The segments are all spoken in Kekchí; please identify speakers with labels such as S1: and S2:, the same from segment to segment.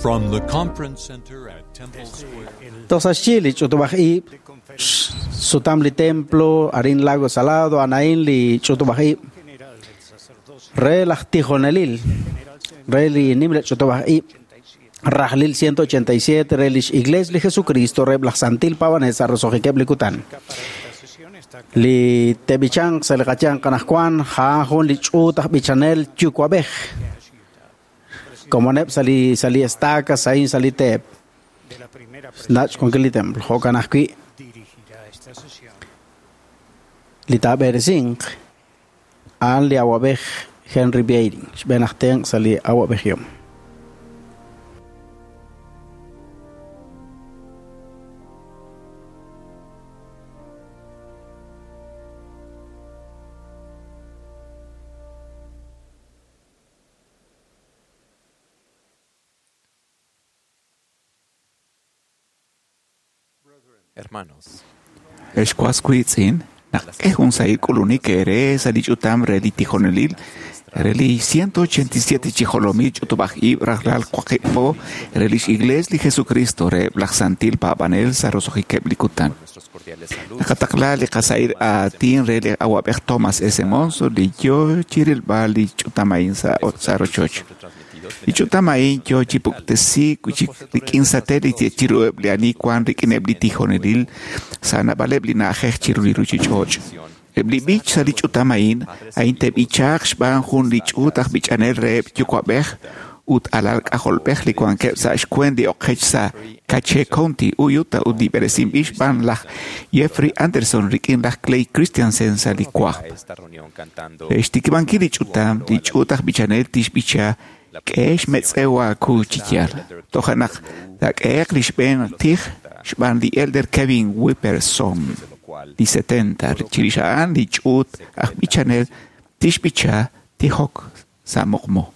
S1: From the Conference Center at Temple Square.
S2: Toj sa' xyi li ch'utub'aj ib', sutam li templo, arin Lago Salado, anain li ch'utub'aj ib', re laj tijonelil, re li nimla ch'utub'aj ib', rajlil 187 re lix Iglesia li Jesucristo, re laj Santil Pavanesa, rosojiqueb li kutan. Li tebichanq sa' li qayanq anajwan, ja'an jun li ch'uut aj b'ichanel yuwa'b'ej. Komoneb' sa' li estaca, sa'in sa' li teep. Nach' wankil li templo, jo'kan ajwi' li taab'eresinq a'an li awab'ej Henry Beiring, xb'een aj tenq' sa' li awab'ejihom.
S3: Hermanos,
S4: Excuascuitzin, naq un sahil k'ulunik ere sa li ch'utam re li tijonelil, re li 187 chijolomil ch'utub'aj ib' rajlal waqib' po, re lix Iglesia li Jesucristo re laj Santil Paab'anel sa roso'jikeb' li kutan.
S3: nuestros cordiales saludos.
S4: Naqataqla li qasahil aatin re li awab'ej Thomas S. Monson li yo chirilb'al li ch'utam a'in sa rochoch.
S3: Retransmitidos
S4: Li ch'utam a'in yo chi puktesi rik'in satélite chiruheb' li ani wan rik'ineb' li tijonelil sa naab'aleb' li na'ajej chiru li ruchich'och'. Eb' li b'ich sa li ch'utam a'in, a'in te'b'ichaaq xb'aan jun li ch'uut aj b'ichanel reheb' yuwa'b'ej ut alal k'ajolb'ej li wankeb' sa' xkwen li oqech sa' Cache County, Utah ut li b'eresinb'il xb'aan laj Jeffrey Anderson rik'in laj Clay Christensen sa' li
S3: a
S4: wajb'.
S3: esta reunión cantando
S4: Re xtikib'ankil li ch'utam, li ch'uut aj b'ichanel tixb'icha k'e xmetz'ew aaku chi yaal. Toja' naq taak'ehe'q li xb'een tij xb'aan li Elder Kevin Whipperson,
S3: de lo cual
S4: li 70, chirix a'an li ch'uut aj b'ichanel tixb'icha tijok sa' muqmu.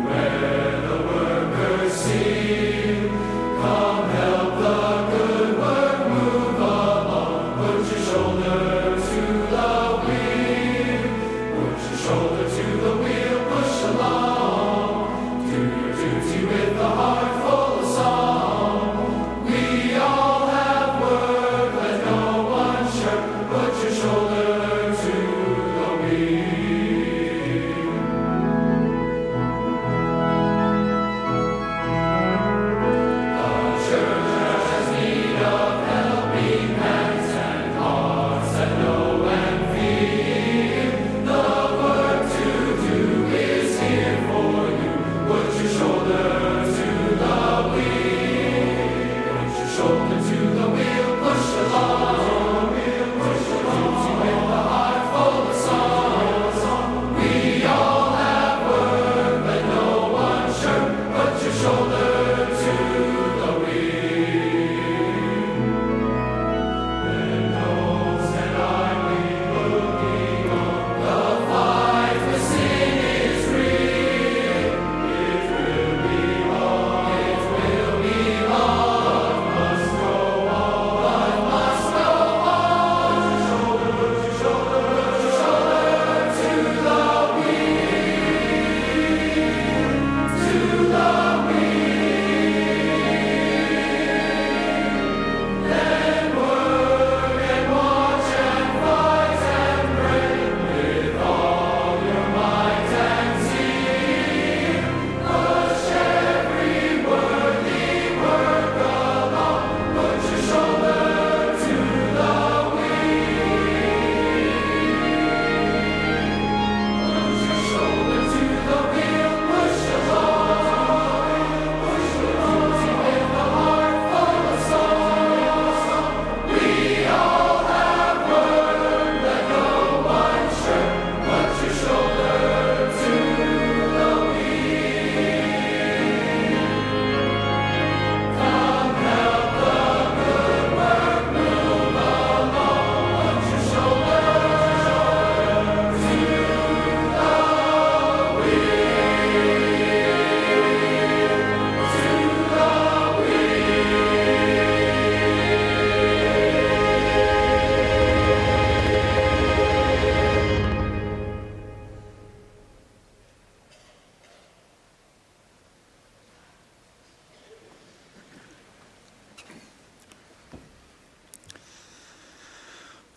S5: Wear the workers' seal.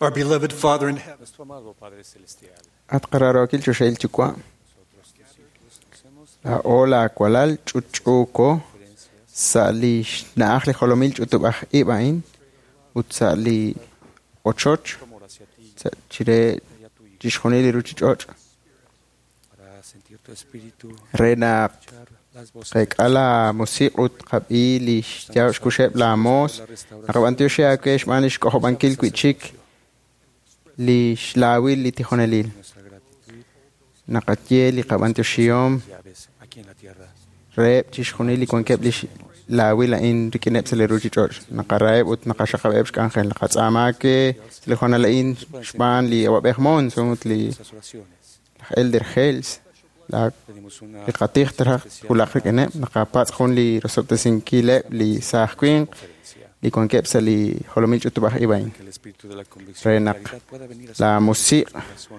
S1: Our beloved Father in heaven,
S5: At qaraarookil choxahil yuwa', laa'o laawalal ch'utch'uuko sa' li xna'aj li jolomil ch'utub'aj ib' a'in ut sa' li ochoch sa' chire chixjunil li ruchich'och' re naq qeek'a la musiq' ut qab'i li xyaab' xkuxeb' la moos naqab'antioxi aawe xb'aan li xk'ojob'ankil wi'chik li xlaawil li tijonelil. Naqaye li qab'antioxihom reheb' chixjunil li wankeb' li laawil a'in rik'ineb' sa' li ruchich'och'. Naqaraheb' ut naqaxaqab'eb' xk'anjel. Naqatz'aama aawe sa' li hoonal a'in xb'aan li Awab'ej Monson ut li laj Elder Hales li qatij traj wulaq rik'ineb'. Naqapatz' jun li rosob'tesinkileb' li saaj winq li wankeb' sa' li jolomil ch'utub'aj ib' a'in re naq la musiq'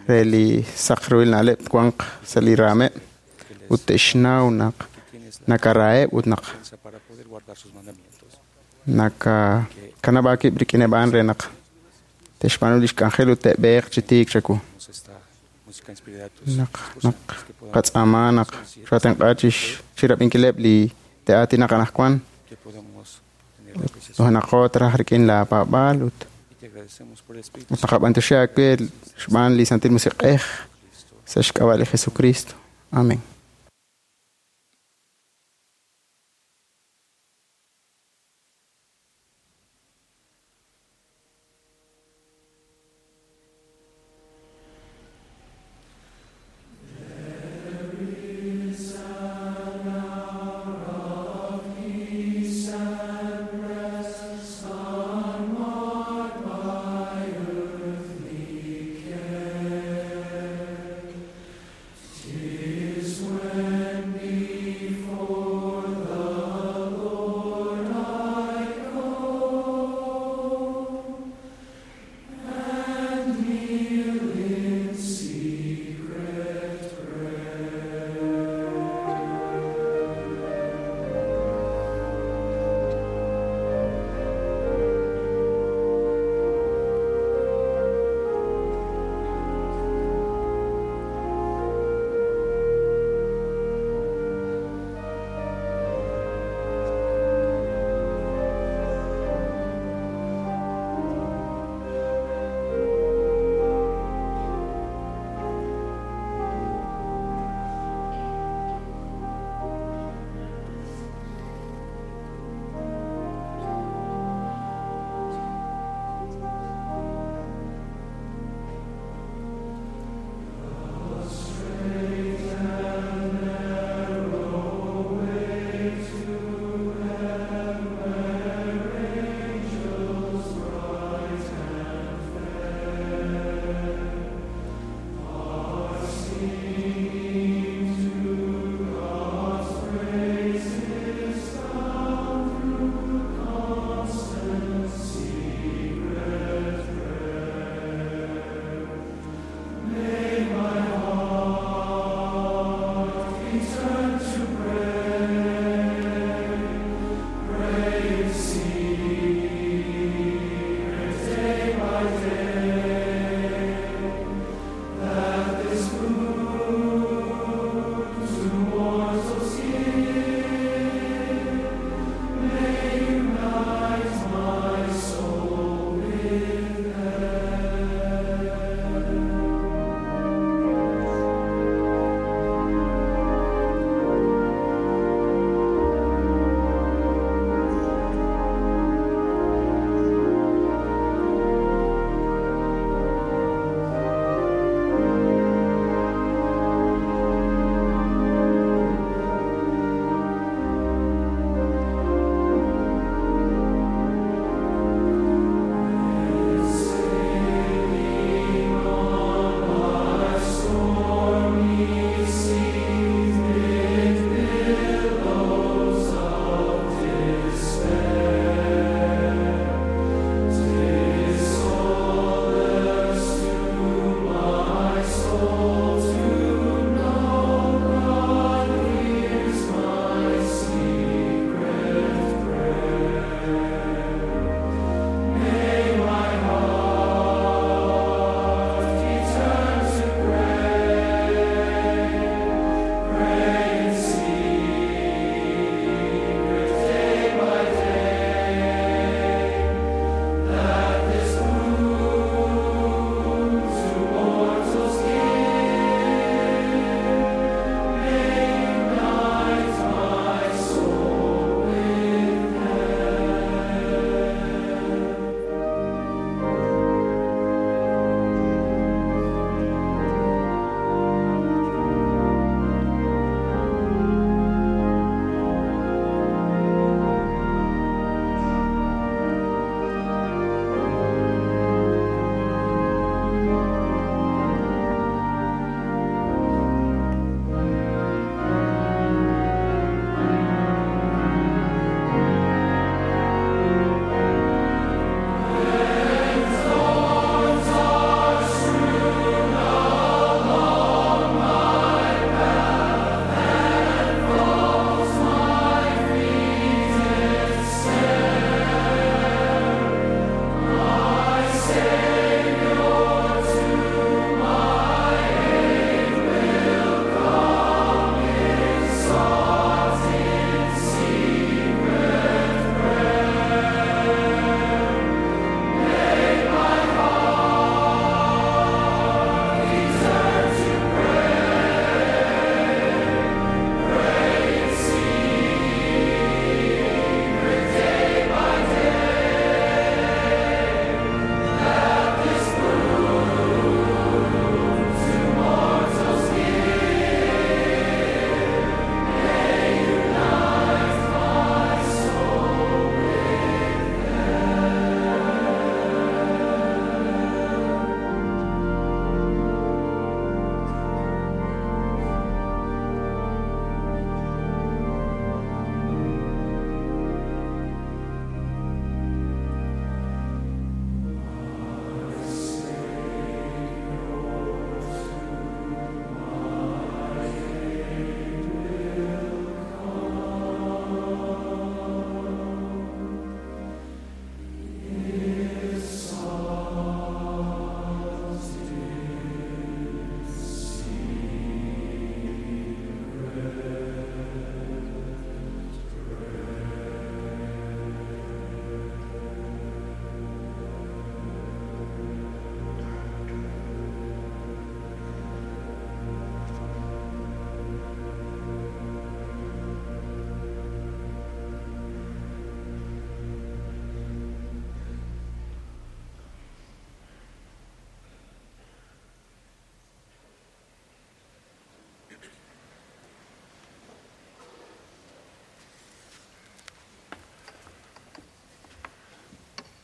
S5: re li saq ruhil na'leb' twanq sa' li raameb' ut te'xnaw naq nakaraheb' ut naq nakakanab' aakib' rik'ineb' a'an re naq te'xb'aanu li xk'anjel ut te'b'eeq chi tiik chawu. Naq naq qatz'aama naq xatenq'a chirab'inkileb' li te'aatinaq anaqwan ut naqo traj rik'in la paab'aal ut naqab'antioxi aawe xb'aan li Santil Musiq'ej sa' xk'ab'a' li Jesucristo. Amén.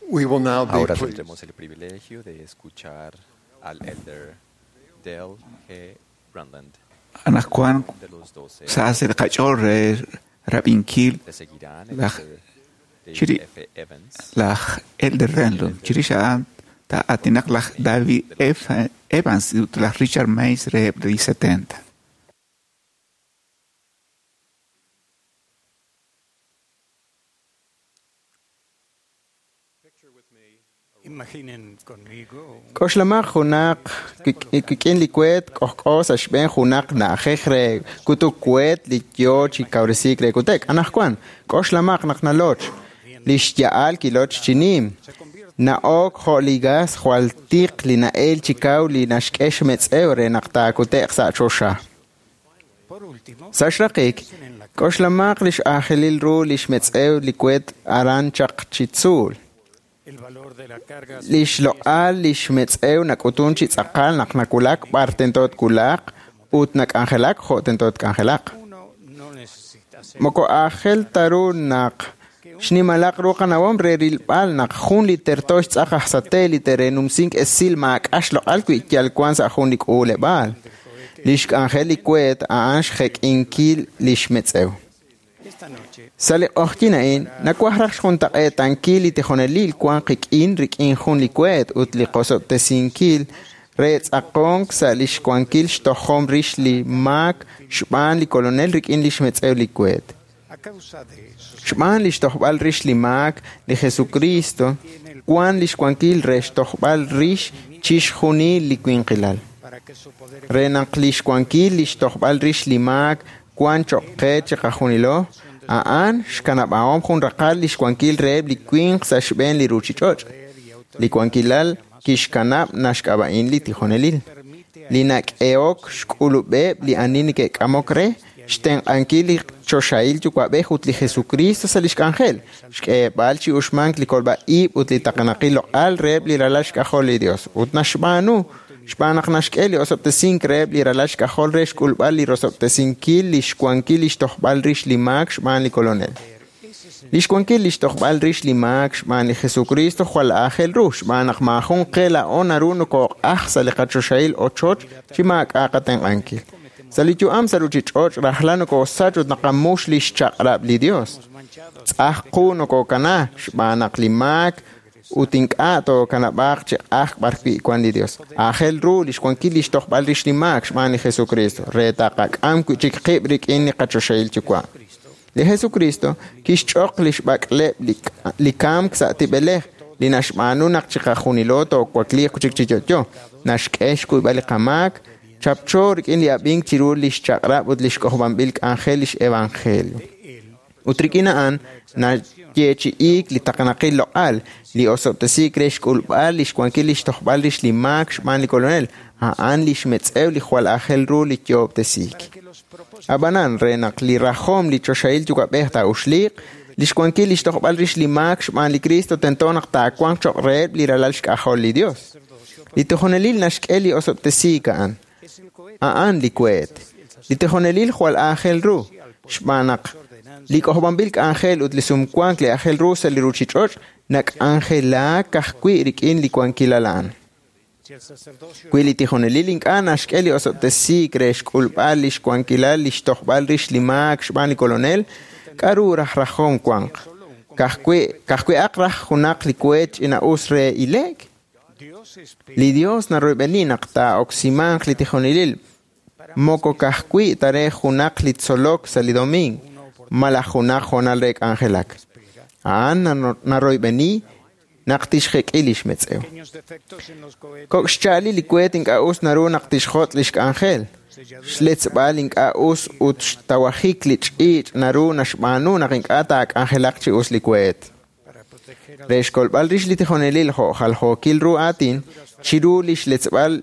S6: We will now be
S3: Ahora
S6: pleased
S3: tendremos el privilegio de escuchar al elder Dale G. Renlund
S4: Anaqwan
S3: de los 12.
S4: sa' sa' li qach'ool re rab'inkil
S3: Le seguirán el
S4: laj
S3: elder David
S4: chiri-
S3: F. Evans,
S4: laj Elder Renlund. Chirix a'an taa'aatinaq laj David F. Evans ut laj Richard Mays reheb' li 70.
S6: Imaginen conmigo un
S5: K'oxlamaq junaq kik'in li kueet k'ojk'o sa' xb'een junaq na'ajej re kutuk kueet li yo chi kawresiik re kutek. Anajwan, k'oxlamaq naq naloch. Li xya'al kiloch chi nim. Na'ok jo' li gas jwal tiq li na'el chi kaw li naxk'e xmetz'ew re naq taakute'q sa' choxa.
S6: Por último,
S5: Sa' xraqik, k'oxlamaq li x'aajelil ru li xmetz'ew li kueet aran chaq chi tzuul.
S6: el valor de la carga
S5: Li xloq'al li xmetz'ew nak'utun chi tz'aqal naq nakulak b'ar tento tkulaq ut nak'anjelak jo' tento tk'anjelaq.
S6: uno no necesita ser
S5: Moko aajel ta ru naq xnimalaq ru qanawom re rilb'al naq jun li terto xtz'aq aj satélite re numsink esil maak'a xloq'al wi yal wan sa' jun li k'uuleb'aal. Li xk'anjel li kueet a'an xjek'inkil li xmetz'ew.
S6: esta noche.
S5: Sa' li q'oqyin a'in, nawaj raj xjuntaq'eetankil li tijonelil wan qik'in rik'in jun li kueet ut li qosob'tesinkil re tz'aqonk sa' li xwankil xtojom rix li maak xb'aan li kolonel rik'in li xmetz'ew li kueet.
S6: A causa de sus
S5: Xb'aan li xtojb'al rix li maak, li Jesucristo, wan li xwankil re xtojb'al rix chixjunil li winqilal.
S6: para que su poder
S5: Re naq li xwankil li xtojb'al rix li maak wan cho'q qe chiqajunilo, a'an xkanab'ahom jun raqal li xwankil reheb' li winq sa' xb'een li ruuchich'och'. Li wankilal kixkanab' naxk'ab'a'in li tijonelil. Li nak'ehok xk'ulub'eb' li ani neke'k'amok re xtenq'ankil li choxahil yuwa'b'ej ut li Jesucristo sa' li xk'anjel, xk'eeb'al chi uxmank li kolb'a-ib' ut li taqenaqil loq'al reheb' li ralal xk'ajol li Dios. Ut naxb'aanu xb'aan naq naxk'e li osob'tesink reheb' li ralal xk'ajol re xk'ulb'al li rosob'tesinkil li xwankil li xtojb'al rix li maak xb'aan li kolonel. Li xwankil li xtojb'al rix li maak xb'aan li Jesucristo jwal aajel ru xb'aan naq maajun qe laa'o naru nokooq'aj sa' li qachoxahil ochoch chi maak'a' qatenq'ankil. Sa' li yu'am sa' ruuchich'och' rajlal nokoosach ut naqamux li xchaq'rab' li Dios. Tz'aj qu nokookana xb'aan naq li maak ut ink'a' tookanab'aaq chi q'ajk b'arwi' wan li Dios. Aajel ru li xwankil li xtojb'al rix li maak xb'aan li Jesucristo re taqak'am wi' chik qib' rik'in li qachoxahil yuwa'. Li Jesucristo kixch'oq li xb'ak'leb' li kamk sa' tib'elej li naxb'aanu naq chiqajunilo toowakliiq chik chi yo'yo. Naxk'e xkuyb'al li qamaak, chapcho rik'in li ab'ink chiru li xchaq'rab' ut li xk'ojob'anb'il k'anjel li xevangelio. Ut rik'in a'an nayeechi'iik li taqenaqil loq'al, li osob'tesiik re xk'ulb'al li xwankil li xtojb'al rix li maak xb'aan li kolonel, a'an li xmetz'ew li jwal aajel ru li yoob'tesiik.
S6: que los propósitos
S5: Ab'anan re naq li rajom li choxahil yuwa'b'ej taa'uxliiq, li xwankil li xtojb'al rix li maak xb'aan li Cristo tento naq taawanq cho'q reheb' li ralal xk'ajol li Dios. Li tijonelil naxk'e li osob'tesiik a'an.
S6: es el cohete
S5: A'an li kueet. Li tijonelil jwal aajel ru xb'aan naq li k'ojob'anb'il k'anjel ut li sumwank li aajel ru sa' li ruuchich'och' nak'anjelaak ka'ajwi' rik'in li wankilal a'an.
S6: si el sacerdocio
S5: Wi li tijonelil ink'a' naxk'e li osob'tesiik re xk'ulb'al li xwankilal li xtojb'al rix li maak xb'aan li kolonel, k'aru raj rajom wanq? Ka'ajwi'aq raj junaq li kueet ch'ina'us re ile'k?
S6: Dios espera
S5: Li Dios naroyb'eni naq taa'oksimanq li tijonelil moko ka'ajwi' ta re junaq li tzolok sa' li domingo malaj junaq hoonal re k'anjelak. A'an naroyb'eni naq tixjek'i li xmetz'ew.
S6: pequeños defectos en los cohetes
S5: Kok' xcha'ali li kueet ink'a' us naru naq tixjot' li xk'anjel. Xletzb'al ink'a' us ut xtawajik li ch'iich' naru naxb'aanu naq ink'a' taak'anjelaq chi us li kueet.
S6: para proteger al
S5: Re xkolb'al rix li tijonelil jo' jaljookil ru aatin, chiru li xletzb'al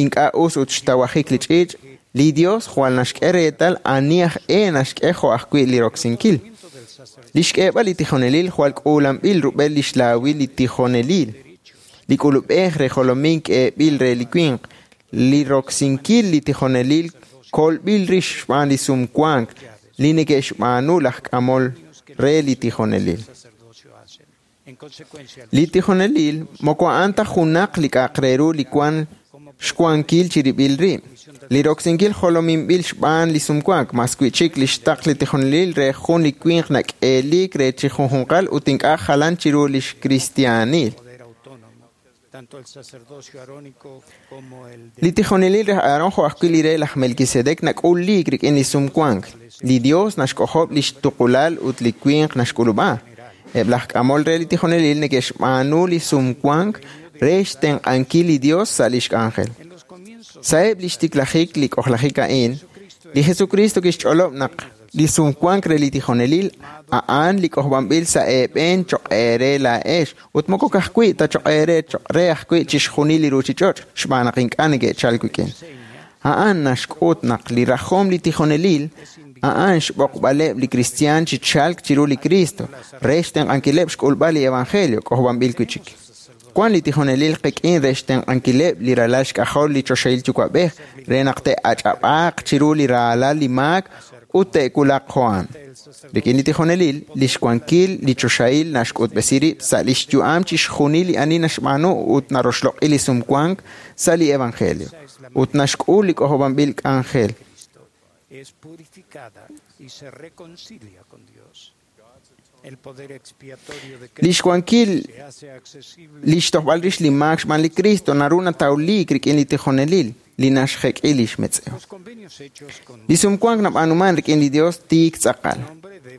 S5: ink'a' us ut xtawajik li ch'iich', li Dios jwal naxk'e reetal ani aj e naxk'e jo' ajwi' li roksinkil.
S6: del sacerdocio
S5: Li xk'eeb'al li tijonelil jwal k'uulanb'il rub'el li xlaawil li tijonelil. Li k'ulub'ej re jolomink k'eeb'il re li winq, li roksinkil li tijonelil kolb'il rix xb'aan li sumwank li neke'xb'aanu laj k'amol re li tijonelil.
S6: sacerdocio hacen.
S5: Li tijonelil moko a'an ta junaq li k'a'aq re ru li wan xwankil chirib'il rib'. Li roksinkil jolominb'il xb'aan li sumwank, mas wi'chik li xtaql li tijonelil re jun li winq nak'eelik re chi junjunqal ut ink'a' jalan chiru lix kristiaanil. Li tijonelil re Aarón jo' ajwi' li re laj Melquisedec nak'uliik rik'in li sumwank. Li Dios naxk'ojob' lix tuqulal ut li winq naxk'ulub'a. Eb' laj k'amol re li tijonelil neke'xb'aanu li sumwank re xtenq'ankil li Dios sa' lix k'anjel. Sa'eb' lix tiklajik li k'ojlajik a'in, li Jesucristo kixch'olob' naq li sumwank re li tijonelil a'an li k'ojb'anb'il sa' eeb'en choq' eere laa'ex ut moko ka'ajwi' ta choq' eere choq' re ajwi' chixjunil li ruuchich'och' xb'aan naq ink'a' neke'chalk wik'in. A'an naxk'ut naq li rajom li tijonelil a'an xb'oqb'aleb' li kristiaan chi chalk chiru li Cristo re xtenq'ankileb' xk'ulb'al li evangelio k'ojb'anb'il wi'chik. Wan li tijonelil qik'in re xtenq'ankileb' li ralal xk'ajol li choxahil yuwa'b'ej re naq te'ach'ab'aaq chiru li raalal li maak ut te'wulaq jo'an. Rik'in li tijonelil, li xwankil li choxahil naxk'utb'esi rib' sa' lix yu'am chixjunil li ani naxb'aanu ut naroxloq'i li sumwank sa' li evangelio ut naxk'ul li k'ojob'anb'il k'anjel.
S6: Es purificada y se reconcilia con Dios. El poder expiatorio de
S5: Li xwankil
S6: se hace accesible
S5: li xtojb'al rix li maak xb'aan li Cristo naru natawliik rik'in li tijonelil li naxjek'i lix metz'ew.
S6: los convenios hechos con
S5: Li sumwank nab'aanuman rik'in li Dios tiik tz'aqal.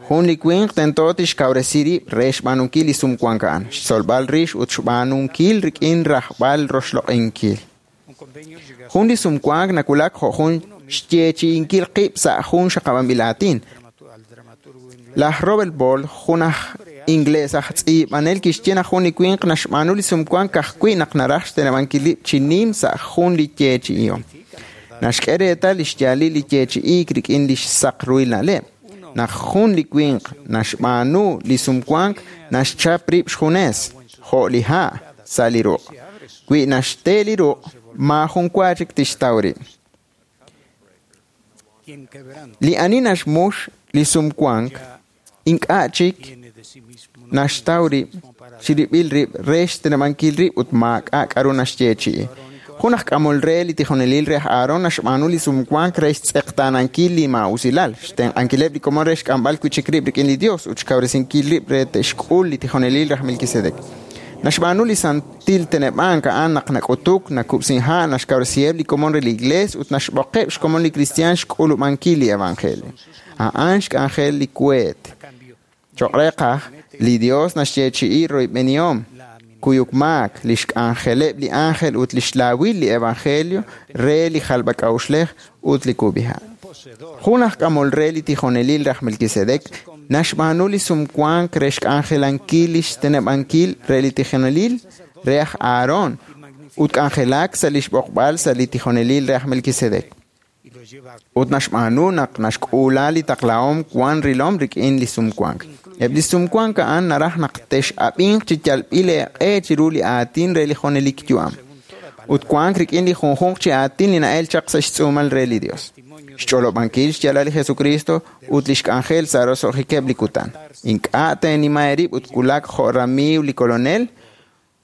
S5: Jun li winq tento tixkawresi rib' re xb'aanunkil li sumwank a'an, xtzolb'al rix ut xb'aanunkil rik'in rajb'al roxloq'inkil.
S6: un convenio llega
S5: Jun li sumwank nawulak jo' jun xyeechi'inkil qib' sa' jun xaqab'anb'il aatin.
S6: al dramaturgo inglés
S5: Laj Robert Ball, jun aj inglés aj tz'iib'anel kixye naq jun li winq naxb'aanu li sumwank ka'ajwi' naq naraj xteneb'ankil rib' chi nim sa' jun li yeechi'ihom. Naxk'e reetal li xyaalil li yeechi'iik rik'in li xsaq ruhil na'leb'. Naq jun li winq naxb'aanu li sumwank naxchap rib' xjunes, jo' li ha' sa' li ruq'. Wi naxte li ruq', maajun wa chik tixtaw rib'.
S6: quien quebranta
S5: Li ani naxmux li sumwank ink'a' chik
S6: tiene de sí mismo no
S5: naxtaw rib' chirib'il rib' re xteneb'ankil rib' ut maak'a' k'aru naxyeechi'i. Jun aj k'amol re li tijonelil re aj Aarón naxb'aanu li sumwank re xtz'eqtaanankil li maa'usilal, xtenq'ankileb' li komon re xk'amb'al wi'chik rib' rik'in li Dios ut xkawresinkil rib' re te'xk'ul li tijonelil re aj Melquisedec. Naxb'aanu li santil teneb'ank a'an naq nak'utuk, nakub'sin ha', naxkawresiheb' li komon re li Iglees ut naxb'oqeb' xkomon li kristiaan xk'ulub'ankil li evangelio. A'an xk'anjel li kueet.
S6: cambio
S5: Choq' re qaj, li Dios naxyeechi'i royb'enihom, kuyuk maak, lix k'anjeleb' li ángel ut lix laawil li evangelio re li jalb'ak'a'uxlej ut li kub'iha'.
S6: un poseedor
S5: Jun aj k'amol re li tijonelil raj Melquisedec naxb'aanu li sumwank re xk'anjelankil lix teneb'ankil re li tijonelil re aj Aarón ut k'anjelak sa' lix b'oqb'al sa' li tijonelil re aj Melquisedec.
S6: y lo lleva a
S5: Ut naxb'aanu naq naxk'uula li taqlahom wan rilom rik'in li sumwank. Eb' li sumwank a'an naraj naq tex'ab'inq chi yalb'il eeq'e chiru li aatin re li junelik yu'am. Ut wank rik'in li junjunq chi aatin li na'el chaq sa' xtz'uumal re li Dios. Xch'olob'ankil xyaalal li Jesucristo ut lix k'anjel sa' roso'jikeb' li kutan. Ink'a' teenima eerib' ut wulak jo' ramiiw li Kolonel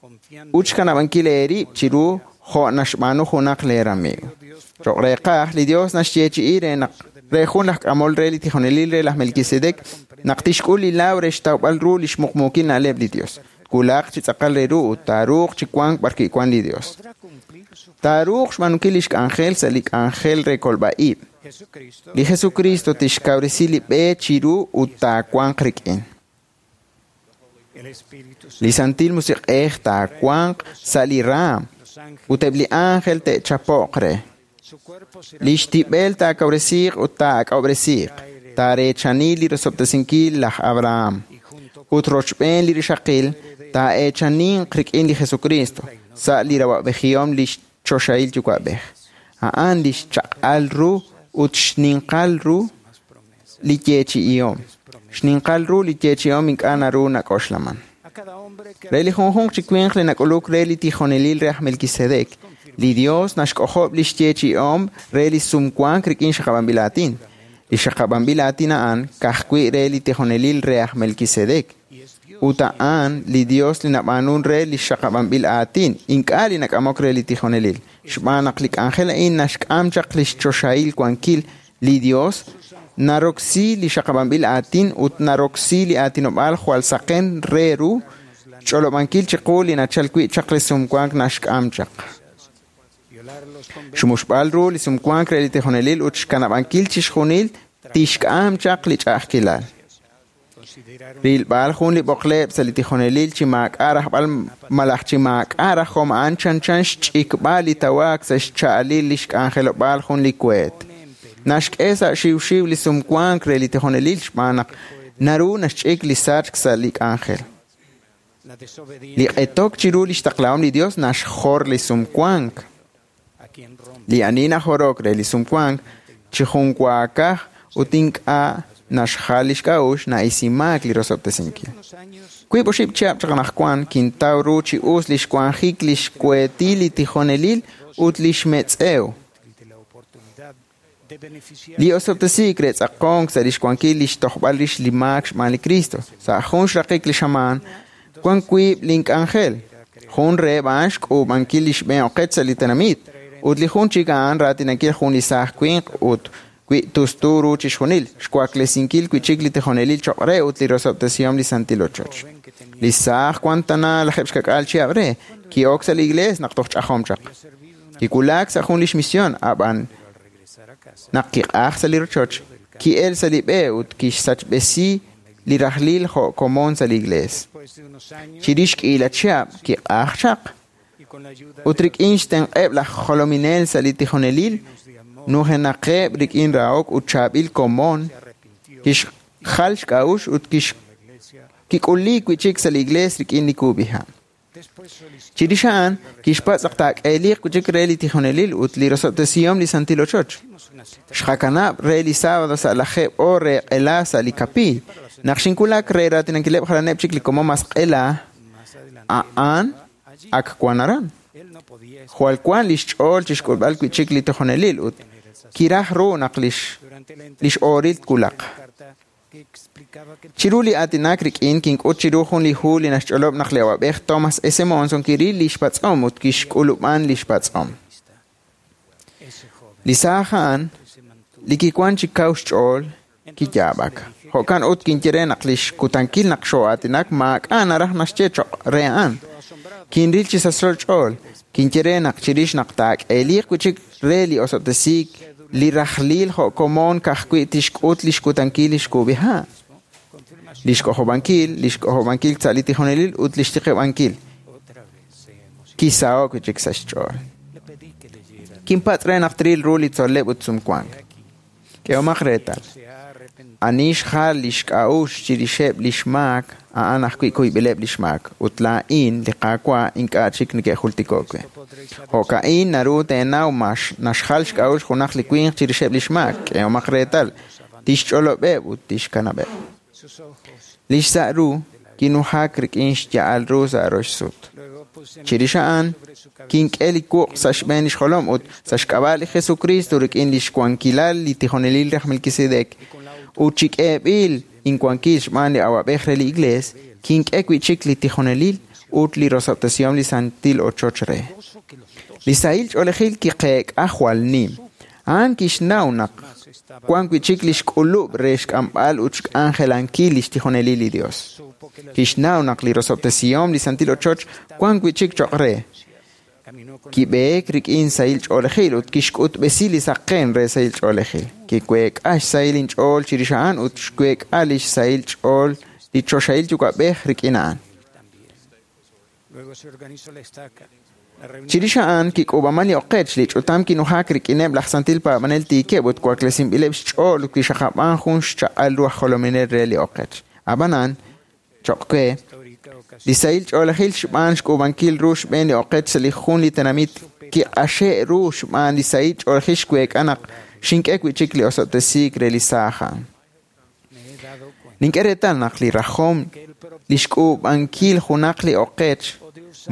S6: confiando
S5: ut xkanab'ankil eerib' chiru jo' naxb'aanu junaq lee ramiiw. Choq' reeqaj, li Dios naxyeechi'i re naq re jun laj k'amol re li tijonelil re laj Melquisedec naq tixk'ul li laaw re xtawb'al ru li xmuqmuukil na'leb' li Dios. Wulaq chi tz'aqal re ru ut taaruuq chi wank b'arwi' wan li Dios.
S6: podrá cumplir su
S5: Taaruuq xb'aanunkil lix k'anjel sa' li k'anjel re kolb'a-ib'.
S6: Jesucristo
S5: Li Jesucristo tixkawresi li b'e chiru ut taawanq rik'in.
S6: el Espíritu
S5: Li Santil Musiq'ej taawanq sa' li raam
S6: los ángeles
S5: ut eb' li ángel te'chapo'q re.
S6: su cuerpo será
S5: Lix tib'el taakawresiiq ut taak'ob'resiiq, taareechani li rosob'tesinkil laj Abraham.
S6: y junto
S5: Ut rochb'een li rixaqil taa'eechaninq rik'in li Jesucristo sa' li rawa'b'ejihom li choxahil yuwa'b'ej. A'an li xchaq'al ru ut xninqal ru
S6: más promesas
S5: li yeechi'ihom. Xninqal ru li yeechi'ihom ink'a' naru nak'oxlaman.
S6: a cada hombre que
S5: Re li junjunq chi winq li nak'uluk re li tijonelil re aj Melquisedec, li Dios naxk'ojob' li xyeechi'ihom re li sumwank rik'in xaqab'anb'il aatin. Li xaqab'anb'il aatin a'an ka'ajwi' re li tijonelil re aj Melquisedec.
S6: y es Dios
S5: Ut a'an li Dios li nab'aanun re li xaqab'anb'il aatin, ink'a' li nak'amok re li tijonelil. Xb'aan naq li k'anjel a'in naxk'am chaq li xchoxahil wankil li Dios, naroksi li xaqab'anb'il aatin ut naroksi li aatinob'aal jwal saqen re ru xch'olob'ankil chiqu li nachal wi' chaq li sumwank naxk'am chaq. Xmuxb'al ru li sumwank re li tijonelil ut xkanab'ankil chixjunil tixk'am chaq li ch'a'ajkilal. Rilb'al jun li b'oqleb' sa' li tijonelil chi maak'a' rajb'al malaj chi maak'a' rajom a'an chanchan xch'ikb'al li tawaak sa' xcha'alil li xk'anjelob'aal jun li kueet. Naxk'e sa' xiwxiw li sumwank re li tijonelil xb'aan naq naru naxch'ik li sachk sa' li k'anjel. Li q'etok chiru li xtaqlahom li Dios naxjor li sumwank. Li ani najorok re li sumwank chi junwaakaj ut ink'a' naxjal li xk'a'uxl na'isimaak li rosob'tesinkil. Wiib' oxib' chihab' chaq anaqwan kintaw ru chi us li xwanjik li xkueetil li tijonelil ut li xmetz'ew. Li osob'tesiik re tz'aqonk sa' li xwankil li xtojb'al rix li maak xb'aan li Cristo. Sa' jun xraqik li xamaan, wan wiib' link'anjel. Jun reheb' a'an xk'uub'ankil li xb'een oqech sa' li tenamit, ut li jun chik a'an raatinankil jun li saaj winq ut wi tustu ru chixjunil, xwaklesinkil wi' chik li tijonelil choq' re ut li rosob'tesihom li santil ochoch. Li saaj wan tana 16 chihab' re, ki'ok sa' li iglees naq toj ch'ajom chaq. Kiwulak sa' jun lix misión, ab'an naq kiq'aj sa' li rochoch, ki'el sa' li b'e ut kixsachb'esi li rajlil jo' komon sa' li iglees. Chirix k'iila chihab' kiq'aj chaq. Ut rik'in xtenq'eb' laj jolominel sa' li tijonelil, nujenaqeb' rik'in rahok ut chaab'il komon, kixjal xk'a'uxl ut kik'uli wi' chik sa' li iglees rik'in li kub'iha'. Chirix a'an, kixpatz' naq taak'eeliq wi' chik re li tijonelil ut li rosob'tesihom li santil ochoch. Xqakanab' re li sábado sa' 10 oor re q'ela sa' li kapiiy. Naq xinwulak re raatinankileb' jalaneb' chik li komon mas q'ela, a'an ak wan aran. Jwal wan li xch'ool chixk'ulb'al wi' chik li tijonelil ut kiraj ru naq lix ooril twulaq. Chiru li aatinak rik'in kink'ut chiru jun li hu li naxch'olob' naq li awab'ej Thomas S. Monson kiril li xpatz'om ut kixk'ulub'an li xpatz'om. Li saaj a'an, li kiwan chi kaw xch'ool, kiyaab'ak. Jo'kan ut kinye re naq li xkutankil naq xoo'aatinak maak'a' naraj naxye choq' re a'an. Kinril chi sachso xch'ool, kinye re naq chirix naq taak'eeliq wi' chik re li osob'tesiik li rajlil jo' komon ka'ajwi' tixk'ut li xkutankil li xkub'iha'. Li xk'ojob'ankil sa' li tijonelil ut li xtiqib'ankil. Kisaho'k wi' chik sa' xch'ool. Kinpatz' re naq tril ru li tzol'leb' ut sumwank. K'ehomaq reetal. Ani xjal li xk'a'uxl chirixeb' li xmaak, a'an ajwi' kuyb'ileb' li xmaak, ut laa'in li Qaawa' ink'a' chik neke'jultiko'k we. Jo'ka'in naru teenaw naxjal xk'a'uxl junaq li winq chirixeb' li xmaak. K'ehomaq reetal, tixch'olob'eb' ut tixkanab'eb'. Li xsa' ru kinujak rik'in xya'al ru sa' rox sut. Chirix a'an, kink'e li wuq' sa' xb'een li xjolom ut sa' xk'ab'a' li Jesucristo rik'in li xwankilal li tijonelil raj Melquisedec ut chi k'eeb'il inwankil xb'aan li awab'ej re li iglees, kink'e wi' chik li tijonelil ut li rosob'tesihom li santil ochoch re. Li sahil ch'oolejil kiqeek'a jwal nim. A'an kixnaw naq wan wi' chik li xk'ulub' re xk'amb'al ut xk'anjelankil li xtijonelil li Dios. Kixnaw naq li rosob'tesihom li santil ochoch wan wi' chik choq' re. Kib'eek rik'in sahil ch'oolejil ut kixk'utb'esi li saqen re sahil ch'oolejil. Kiweek'a xsahil inch'ool chirix a'an ut xweek'a li xsahil ch'ool li choxahil yuwa'b'ej rik'in a'an. Chirix a'an kik'uub'aman li oqech li ch'utam kinujak rik'ineb' laj santil paab'anel tiikeb' ut waklesinb'ileb' xch'ool ut kixaqab'an jun xchaq'al ru aj jolominel re li oqech. Ab'anan, choq' we, li sahil ch'oolejil xb'aan xk'uub'ankil ru xb'een li oqech sa' li jun li tenamit kiq'axe' ru xb'aan li sahil ch'oolejil xweek'a naq xink'e wi' chik li osob'tesiik re li saaj a'an. Nink'e reetal naq li rajom li xk'uub'ankil junaq li oqech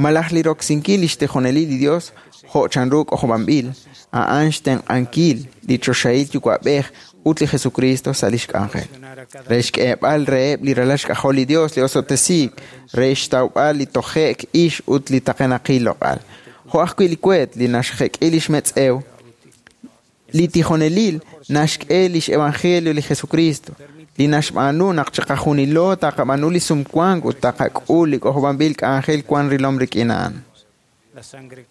S5: malaj li roksinkil li xtijonelil li Dios jo' chanru k'ojob'anb'il, a'an xtenq'ankil li choxahil yuwa'b'ej ut li Jesucristo sa' lix k'anjel. Re xk'eeb'al reheb' li ralal xk'ajol li Dios li osob'tesiik, re xtawb'al li toje'k ix ut li taqenaqil loq'al. Jo' ajwi' li weet li naxjek'i lix metz'ew, li tijonelil naxk'e lix evangelio li Jesucristo, li naxb'aanu naq chiqajunilo taqab'aanu li sumwank ut taqak'ul li k'ojob'anb'il k'anjel wan rilom rik'in a'an.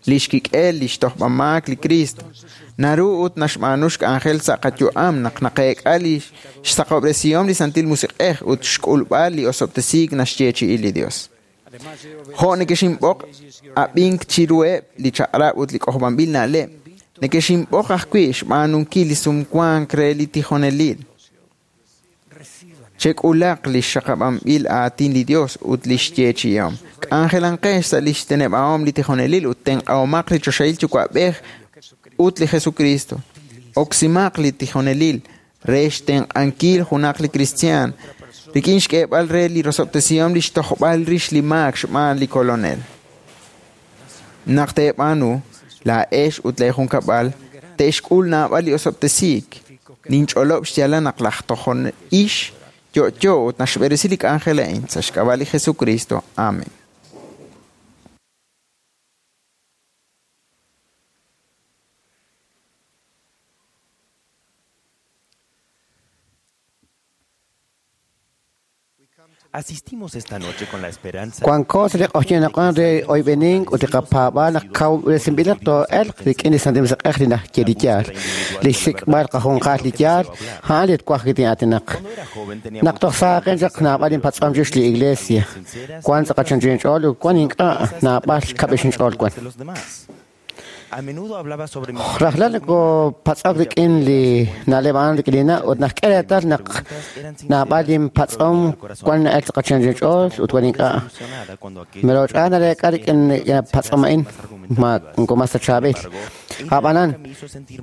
S5: Lix kik'el lix tojb'amaak li Cristo naru ut naxb'aanu xk'anjel sa' qayu'am naq naqeek'a li xsaqob'resihom li Santil Musiq'ej ut xk'ulb'al li osob'tesiik naxyeechi'i li Dios. Jo' nekexinb'oq ab'ink chiruheb' li chaq'rab' ut li k'ojob'anb'il na'leb', nekexinb'oq ajwi' xb'aanunkil li sumwank re li tijonelil. Chek'ulaq li xxaqab'anb'il aatin li Dios ut li xyeechi'ihom. K'anjelanqex sa' li xteneb'ahom li tijonelil ut tenq'ahomaq li choxahil yuwa'b'ej ut li Jesucristo. Oksimaq li tijonelil re xtenq'ankil junaq li kristiaan rik'in xk'eeb'al re li rosob'tesihom li xtojb'al rix li maak xb'aan li Kolonel. Naq teeb'aanu, laa'ex ut lee junkab'al te'xk'ul naab'al li osob'tesiik. Ninch'olob' xyaalal naq laj tojon ix yo'yo ut naxb'eresi li k'anjel a'in sa' xk'ab'a' li Jesucristo. Amen.
S7: Asistimos esta noche con la esperanza.
S8: Wanko sa li q'oxyinaq'an re oyb'enink ut li qapaab'al naq kawresinb'ilaq too'elq rik'in li Santil Musiq'ej li najye li yaal. Li xsik'b'al qajunqal li yaal, a'an li twaj kitin'aatinaq. Naq toj saaqen chaq naab'al inpatz'om chix li iglesia. Wan tz'aqal chanch'inch'ool ut wan ink'a' naab'al xkab'ix inch'ool wan.
S7: A menudo hablaba sobre mi
S8: Rajlal nako patz'ok rik'in li na'leb' a'an rik'in li na' ut najk'e reetal naq naab'al inpatz'om wan na'el tz'aqal chanch'inch'ool ut wan ink'a'. Meroch'a nareek'a rik'in patz'om a'in ma nko mas ta chaab'il. Ab'anan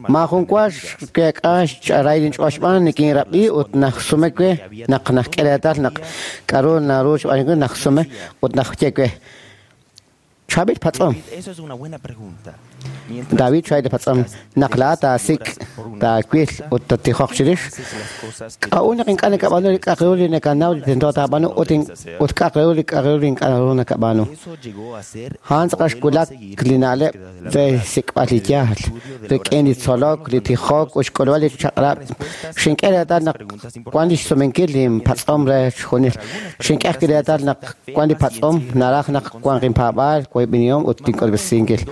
S8: maajun wa xkeek'a xch'aray linch'ool xb'aan nikinrab'i ut najsume we naq najk'e reetal naq k'aru naru xb'aanunkil najsume ut najye we. Chaab'il patz'om.
S7: David, eso es una buena pregunta. Mientras
S8: David chaab'il patz'om naq laa taasik' taawil ut tatijoq chirix.
S7: haces las cosas que
S8: K'a'ut naq ink'a' nakab'aanu li k'a'aq ru li nakanaw li tento taab'aanu ut ut k'a'aq ru li k'a'aq ru li ink'a' naru nakab'aanu.
S7: eso llegó a ser
S8: A'an tz'aqal xwulak li na'leb' re xsik'b'al li yaal, rik'in li tzolok, li tijok ut xk'ulb'al li chaq'rab'. Xink'e reetal naq wan li xsumenkil linpatz'om re xjunil. Xink'e ajwi' reetal naq wan li patz'om naraj naq wanq inpaab'aal, woyb'enihom ut tink'ulb'esinkil.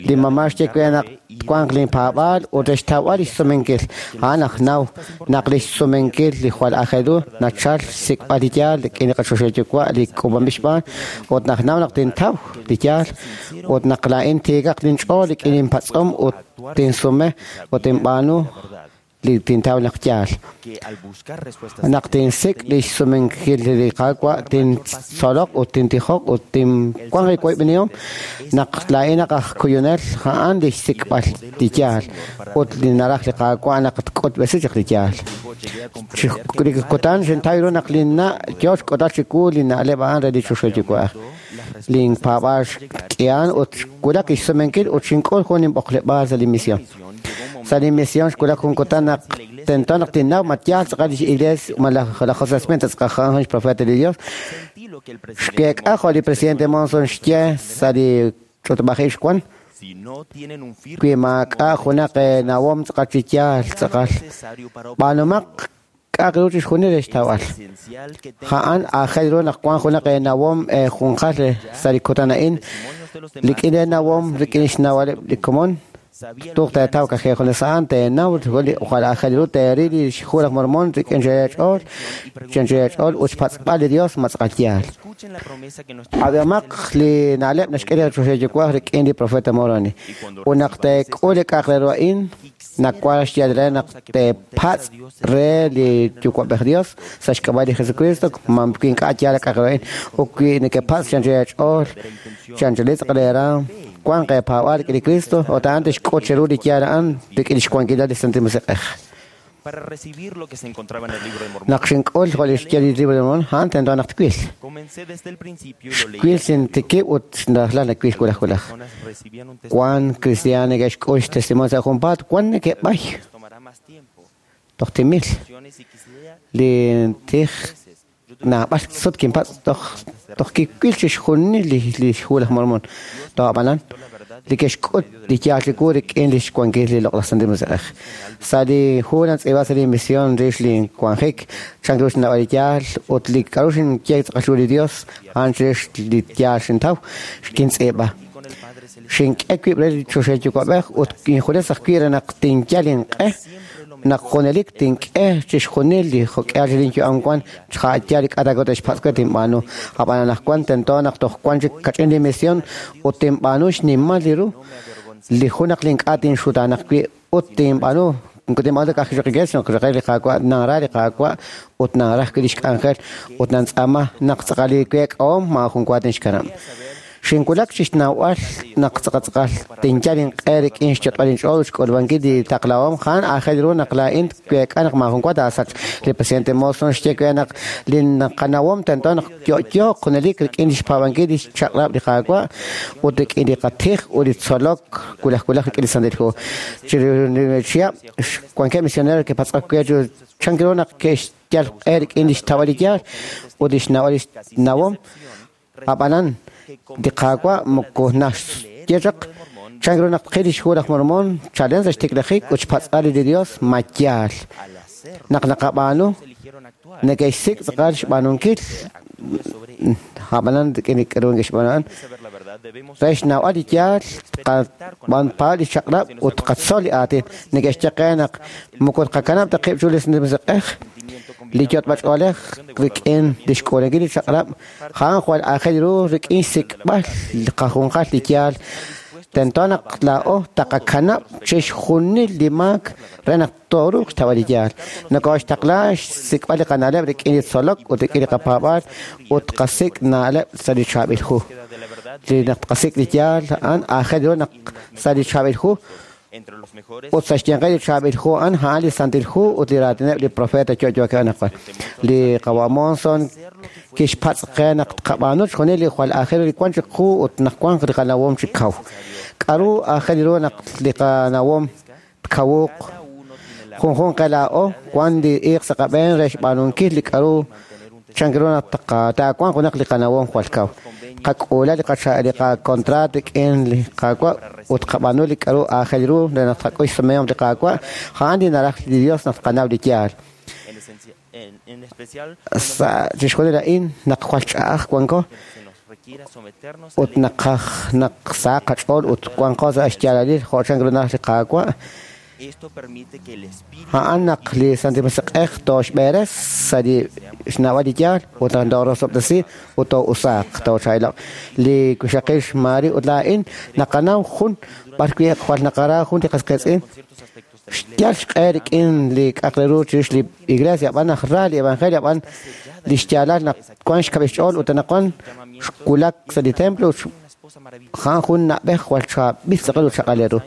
S8: Li mamá xye we naq wanq linpaab'aal ut re xtawb'al li xsumenkil. A'an aj naw naq li xsumenkil li jwal aajel ru nachal xsik'b'al li yaal rik'in li qachoxahil yuwa' li k'uub'anb'il xb'aan ut naq naw naq tintaw li yaal ut naq laa'in tiikaq linch'ool rik'in inpatz'om ut tinsume ut tinb'aanu li tintaw naq yaal.
S7: que al buscar respuestas
S8: Naq tinsik' li xsumenkil li Qaawa' tintzolok ut tintijoq ut tinwanq li woyb'enihom naq laa'in naq aj kuyunel a'an li xsik'b'al li yaal ut li naraj li Qaawa' naq tk'utb'esi chaq li yaal.
S7: llegué a
S8: Chi
S7: comprender que
S8: li kutan xintaw ru naq linna' yoo xk'otal chiwu li na'leb' a'an re li choxahil yuwa'aj. Linpaab'aal xk'ihan ut xwulak xsumenkil ut xink'ul jun inb'oqleb'aal sa' li misión. Sa' li misión xwulak jun kutan naq tento naq tinnaw ma yaal tz'aqal lix iglesia ma laj José Smith tz'aqal jun xprofeta li Dios.
S7: sentí lo que el presidente
S8: Xkeek'a jo' li presidente Monson xye sa' li ch'utub'ajil xwan
S7: si no tienen un firme
S8: wi maak'a' junaq nawom tz'aqal chi yaal tz'aqal.
S7: necesario para
S8: B'aanumaq k'a'aq ru chixjunil re xtawb'al.
S7: esencial que tengan
S8: A'an aajel ru naq wan junaq nawom junqal sa' li kutan a'in
S7: testimonios de los demás
S8: rik'in nawom rik'in xnawaleb' li komon
S7: sabía
S8: tuq teetaw kajej junes a'an teenaw li jwal aajel ru teeril li xhu laj Mormon rik'in xeech'ool chanch'eech'ool ut xpatz'b'al li Dios ma tz'aqal yaal.
S7: escuchen la promesa que nuestro
S8: Ab'amaq li na'leb' naxk'e li choxahil yuwa'aj rik'in li profeta Moroni. Ut naq teek'ul li k'a'aq re ru a'in, nawank xyaal re naq teepatz' re li yuwa'b'ej Dios sa' xk'ab'a' li Jesucristo ma wi ink'a' yaal li k'a'aq re ru a'in ut wi nekepatz' chanch'eech'ool chanch'eli tz'aqal eeraam wanq eepaab'aal rik'in li Cristo ut a'an tixk'ut cheru li yaal a'an rik'in xwankilal li Santil Musiq'ej.
S7: para recibir lo que se encontraba en el libro de Mormón.
S8: Naq xink'ul jo' li xye li libro de Mormón, a'an tento naq twil.
S7: Comencé desde el principio y lo leí.
S8: Xwil sintikib' ut rajlal nawil wulaj wulaj.
S7: Personas recibían un testimonio
S8: Wan cristiano neke'xk'ul xtestimonio sa' junpaat, wan neke'b'ay.
S7: tomará más tiempo.
S8: Toj timil li tij naab'al sut kinpatz' toj kiwil chixjunil li xhu laj Mormon. Toj ab'anan li ke'xk'ut li yaal chiwu rik'in li xwankil li Loq'laj Santil Musiq'ej. Sa' li hu nantz'iib'a sa' li misión rix li wanjik, chan ru xnawb'al li yaal ut li k'a'ru xinye tz'aqal ru li Dios a'an chirix li yaal xintaw, xkintz'iib'a. Xink'e wib' re li choxahil yuwa'b'ej ut injunes ajwi' re naq tinyal inq'e naq junelik tink'e chixjunil li jok'ihal chi linyu'am wan xja'ayaal li k'a' ta te'xpatz' we tinb'aanu. Ab'an anaqwan tento naq toj wan chik kach'in li misión ut tinb'aanu xnimal li ru li jun naq link'a' tinxutaanaq wi' ut tinb'aanu tinb'aanu ka'aj wi' iglesia naq re li Qaawa' nanra li Qaawa' ut nanraj wi' li xk'anjel ut nantz'aama naq tz'aqal li week'ahom maajun wa tinxkanab'. Xinwulak chi xnawb'al naq tz'aqal tinyal inq'e rik'in xyot'b'al inch'ool ut xk'ulub'ankil li taqlahom a'an aajel ru naq laa'in week'a naq maajun wa taasachq. Li presidente Monson xye we naq li qanawom tento naq yo'yooq junelik rik'in li xpaab'ankil li xchaq'rab' li Qaawa' ut rik'in li qatij ut li tzolok wulaj wulaj rik'in li Santil Hu. Chiru li chihab' wankeb' misionero ke'patz'ok we chan ru naq ke'xyal q'e rik'in li xtawb'al li yaal ut li xnawb'al li xnawom. Ab'anan li Qaawa' moko naxye chaq chan ru naq tqil li xhu laj Mormon chalen sa' xtiklajik ut xpatz'b'al li Dios ma yaal. Naq naqab'aanu neke'xsik' tz'aqal xb'aanunkil ab'anan rik'in li k'a'ru neke'xb'aanu a'an re xnawb'al li yaal tqab'anpaal li chaq'rab' ut tqatzol li aatin. Neke'xye qe naq moko tqakanab' ta qib' chiru li Musiq'ej li yot'b'ach'oolej rik'in li xk'uulankil li chaq'rab' a'an jwal aajel ru rik'in xsik'b'al li qajunqal li yaal. Tento naq laa'o taqakanab' chixjunil li maak re naq tooruuq xtawb'al li yaal. Nokoxtaqla xsik'b'al li qana'leb' rik'in li tzolok ut rik'in li qapaab'aal ut tqasik' na'leb' sa' li chaab'il hu. Li naq tqasik' li yaal a'an aajel ru naq sa' li chaab'il hu ut sa' xyanqil li chaab'il hu a'an a'an li Santil Hu ut li raatineb' li profeta yo'yookeb' anaqwan. Li Qawa' Monson kixpatz' qe naq tqab'aanu chixjunil li jwal aajel ru li wan chiqu ut naq wanq li qanawom chi kaw. K'a'ru aajel ru naq li qanawom tkawuq junjunq qe laa'o wan li iiq sa' qab'een re xb'aanunkil li k'a'ru chan ru naq taawanq junaq li qanawom jwal kaw. Qak'uula li qakontraat rik'in li Qaawa' ut qab'aanu li k'a'ru aajel ru re naq tqak'ul xsumehom li Qaawa' a'an li naraj li Dios naq tqanaw li yaal. Sa' chixjunil a'in naq jwal ch'a'aj wanko ut naqaj naq sa qach'ool ut wanqo sa' xyaalalil jo' chan ru naraj li Qaawa'. A'an naq li Santil Musiq'ej tooxb'eres sa' li xnawb'al li yaal ut naq toorosob'tesi ut too'usaaq toochaab'ilo'q. Li wixaqil xMary ut laa'in naqanaw jun b'arwi' jwal naqara jun li qas qiitz'in xyal xq'e rik'in li k'a'aq re ru chirix li iglesia ab'an naq ra li evangelio ab'an li xyaalal naq wan xkab'il xch'ool ut anaqwan xwulak sa' li templo a'an jun na'b'ej jwal chaab'il tz'aqal ut chaq'al ru.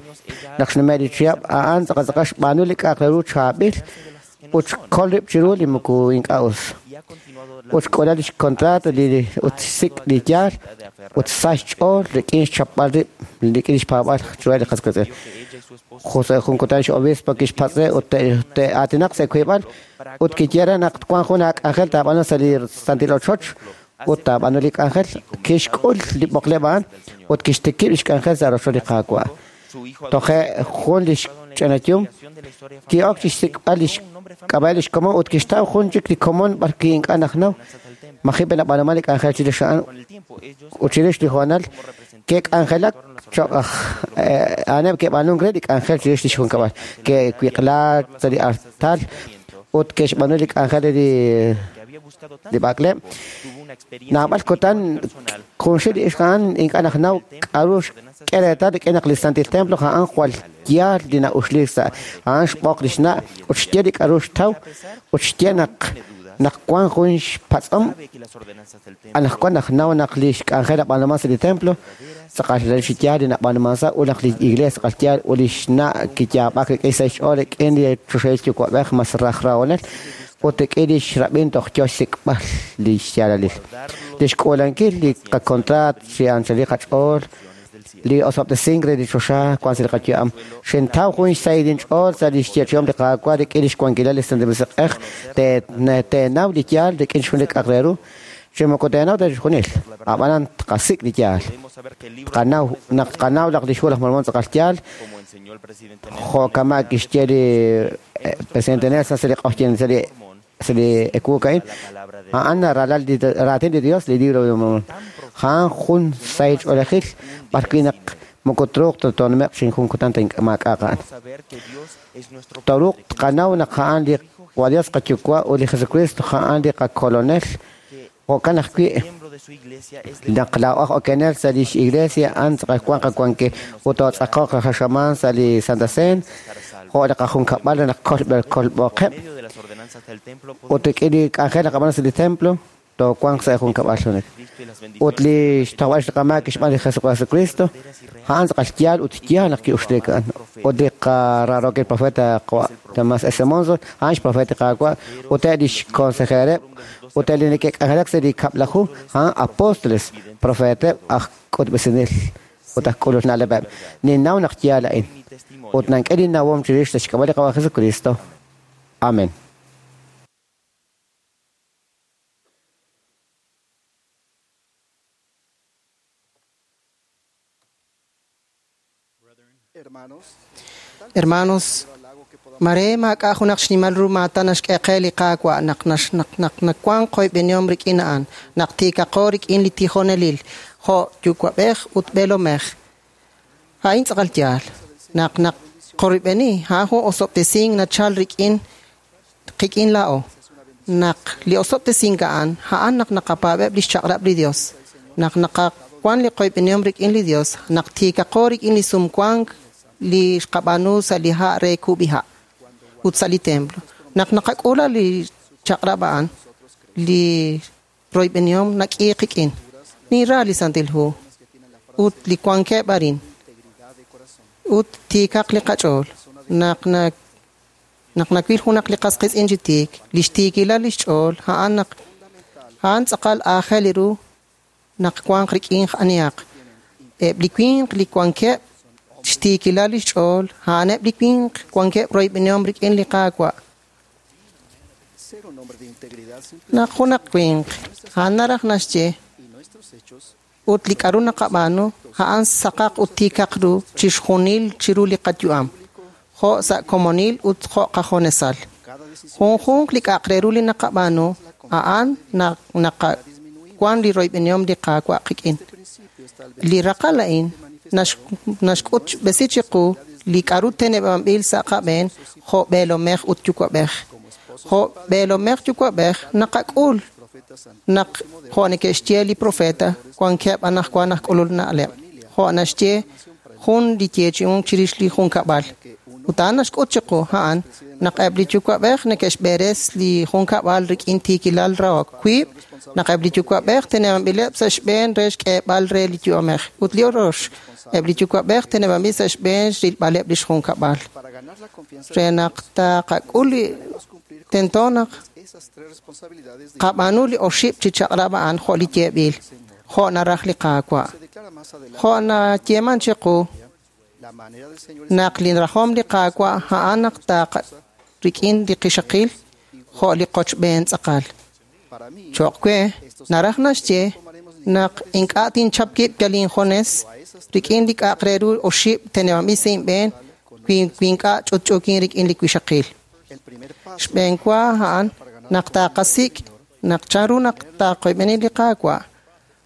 S8: Naq xnume' li chihab' a'an tz'aqal tz'aqal xb'aanu li k'a'aq re ru chaab'il ut xkol rib' chiru li moko ink'a' us. Ut xk'uula li xkontrato ut xsik' li yaal ut sa xch'ool rik'in xchapb'al rib' rik'in li xpaab'al chiru li qas qiitz'in. Jose jun kutan x'obispo kixpatz' re ut te'aatinaq sa' wiib'al ut kiye re naq wan jun aak'anjel taab'aanu sa' li Santil Ochoch ut taab'aanu li k'anjel kixk'ul li b'oqleb' a'an ut kixtikib' li xk'anjel sa' rochoch li Qaawa'. Toje' jun li xch'inayum ki'ok chi xsik'b'al li xk'ab'a' li xkomon ut kixtaw jun chik li komon b'arwi' ink'a' najnaw maji' nab'aanuman li k'anjel chirix a'an ut chirix li hoonal ke'k'anjelak cho'q aj a'aneb' ke'b'aanunk re li k'anjel chirix li xjunkab'al ke'wiq'la sa' li artal ut ke'xb'aanu li k'anjel li b'ak'leb'. Naab'al kutan junxil li ixq a'an ink'a' najnaw k'a'ru xk'e reetal rik'in naq li Santil Templo a'an jwal yaal li na'uxliik sa' a'an xb'oq li xna' ut xye li k'a'ru xtaw ut xye naq wan jun xpatz'om anaqwan najnaw naq li xk'anjel nab'aanuman sa' li templo tz'aqal li yaal li nab'aanuman sa' ut naq li iglesia tz'aqal yaal ut li xna' kiyaab'ak rik'in sa' xch'ool rik'in li choxahil yuwa'b'ej mas raj rahonel ut rik'in li xrab'in toj yo xsik'b'al li xyaalalil. Li xk'uulankil li qakontraat chi anchal li qach'ool Li osob'tesink re li choxa wan sa' li qayu'am. Xintaw jun xsahil inch'ool sa' li xyeechi'om li Qaawa' rik'in lix wankilal li Santil Musiq'ej teenaw li yaal rik'in xjun li k'a'aq re ru. Chi moko teenaw ta chixjunil. Ab'anan tqasik' li yaal. Tqanaw naq tqanaw naq lix Hu laj Mormon tz'aqal yaal, jo' kama' kixye li presidente Nelson sa' li q'ojyin sa' li ewuuk a'in, a'an ralal li raatin li Dios, li libro de Mormon. A'an jun sahil ch'oolejil b'ar wi' naq moko truuq ta toonume'q chi jun kutan ta maak'a'aq a'an. Tooruuq tqanaw naq a'an li Dios qaYuwa' ut li Jesucristo a'an li qakolonel. Jo'kan ajwi' naq laa'o aj okenel sa' lix iglesia a'an tz'aqal wan qawankil ut tootz'aqoq qaxamaan sa' li Santa Cena jo' li qajunkab'al re naq kolb'oqeb' ut rik'in li k'anjel naqab'aanu sa' li templo toowanq sa' junkab'al junek. Ut li xtojb'al xqamaak xb'aan li Jesucristo a'an tz'aqal yaal ut yaal naq ki'uxleek a'an. Ut li qaraarookil profeta Thomas S. Monson a'an xprofeta Qaawa' ut eb' lix consejereb' ut eb' li neke'k'anjelak sa' li kab'laju a'an apóstoles, profeteb' aj k'utb'esinel ut aj k'ulul na'leb'eb'. Ninnaw naq yaal a'in. Ut nank'e linnawom chirix sa' xk'ab'a' li Qaawa' Jesucristo. Amen.
S9: Hermanos, mare maak'a' junaq xnimal ru maatan naxk'e qe li Qaawa' naq naq nawanq qoyb'enihom rik'in a'an, naq tiikaqo rik'in li tijonelil, jo' yuwa'b'ej ut b'eelomej. A'in tz'aqal yaal. Naq naq qorb'eni, a'an jun osob'tesink nachal rik'in qik'in laa'o. Naq li osob'tesink a'an, a'an naq naqapaab'eb' li xchaq'rab' li Dios. Naq naqawan li qoyb'enihom rik'in li Dios, naq tiikaqo rik'in li sumwank li xqab'aanu sa' li ha' re kub'iha' ut sa' li templo. Naq naqak'ula li chaq'rab' a'an, li royb'enihom nak'i qik'in. Ninra li Santil Hu ut li wankeb' arin ut tiikaq li qach'ool. Naq naq nawil junaq li qas qiitz'in chi tiik, li xtiikilal li xch'ool, a'an naq a'an tz'aqal aajel ru naq wanq rik'in anihaq. Eb' li winq li wankeb' xtiikilal li xch'ool, a'aneb' li winq wankeb' royb'enihom rik'in li Qaawa'. Naq junaq winq, a'an naraj naxye ut li k'aru naqab'aanu, a'an saqaq ut tiikaq ru chixjunil chiru li qayu'am, jo' sa' komonil ut jo' qajonesal. Junjunq li k'a'aq re ru li naqab'aanu, a'an naqawan li royb'enihom li Qaawa' qik'in. Li raqal a'in naxk'ut b'esi chiqu li k'aru teneb'anb'il sa' qab'een jo' b'eelomej ut yuwa'b'ej. Jo' b'eelomej yuwa'b'ej naqak'ul naq jo' neke'xye li profeta wankeb' anaqwan aj k'ulul na'leb'. Jo' naxye jun li yeechi'unk chirix li junkab'al. Ut a'an naxk'ut chiqu a'an naq eb' li yuwa'b'ej neke'xb'eres li junkab'al rik'in tiikilal rahok. Wiib' naq eb' li yuwa'b'ej teneb'anb'ileb' sa' xb'een re xk'eeb'al re li yu'amej. Ut li orox, eb' li yuwa'b'ej teneb'anb'il sa' xb'een xrilb'aleb' li xjunkab'al. Re naq taqak'ul li tento naq qab'aanu li oxib' chi chaq'rab' a'an jo' li yeeb'il, jo' naraj li Qaawa'. Jo' nayeeman chiqu naq li rajom li Qaawa' a'an naq taqa rik'in li qixaqil jo' li qochb'een tz'aqal. Cho'q we naraj naxye naq ink'a' tinchap kib' yal injones rik'in li k'a'aq re ru oxib' teneb'anb'il sa' inb'een wi ink'a' ch'utch'uukin rik'in li wixaqil. Xb'een wa a'an naq taqasik' naq chanru naq taqoyb'eni li Qaawa'.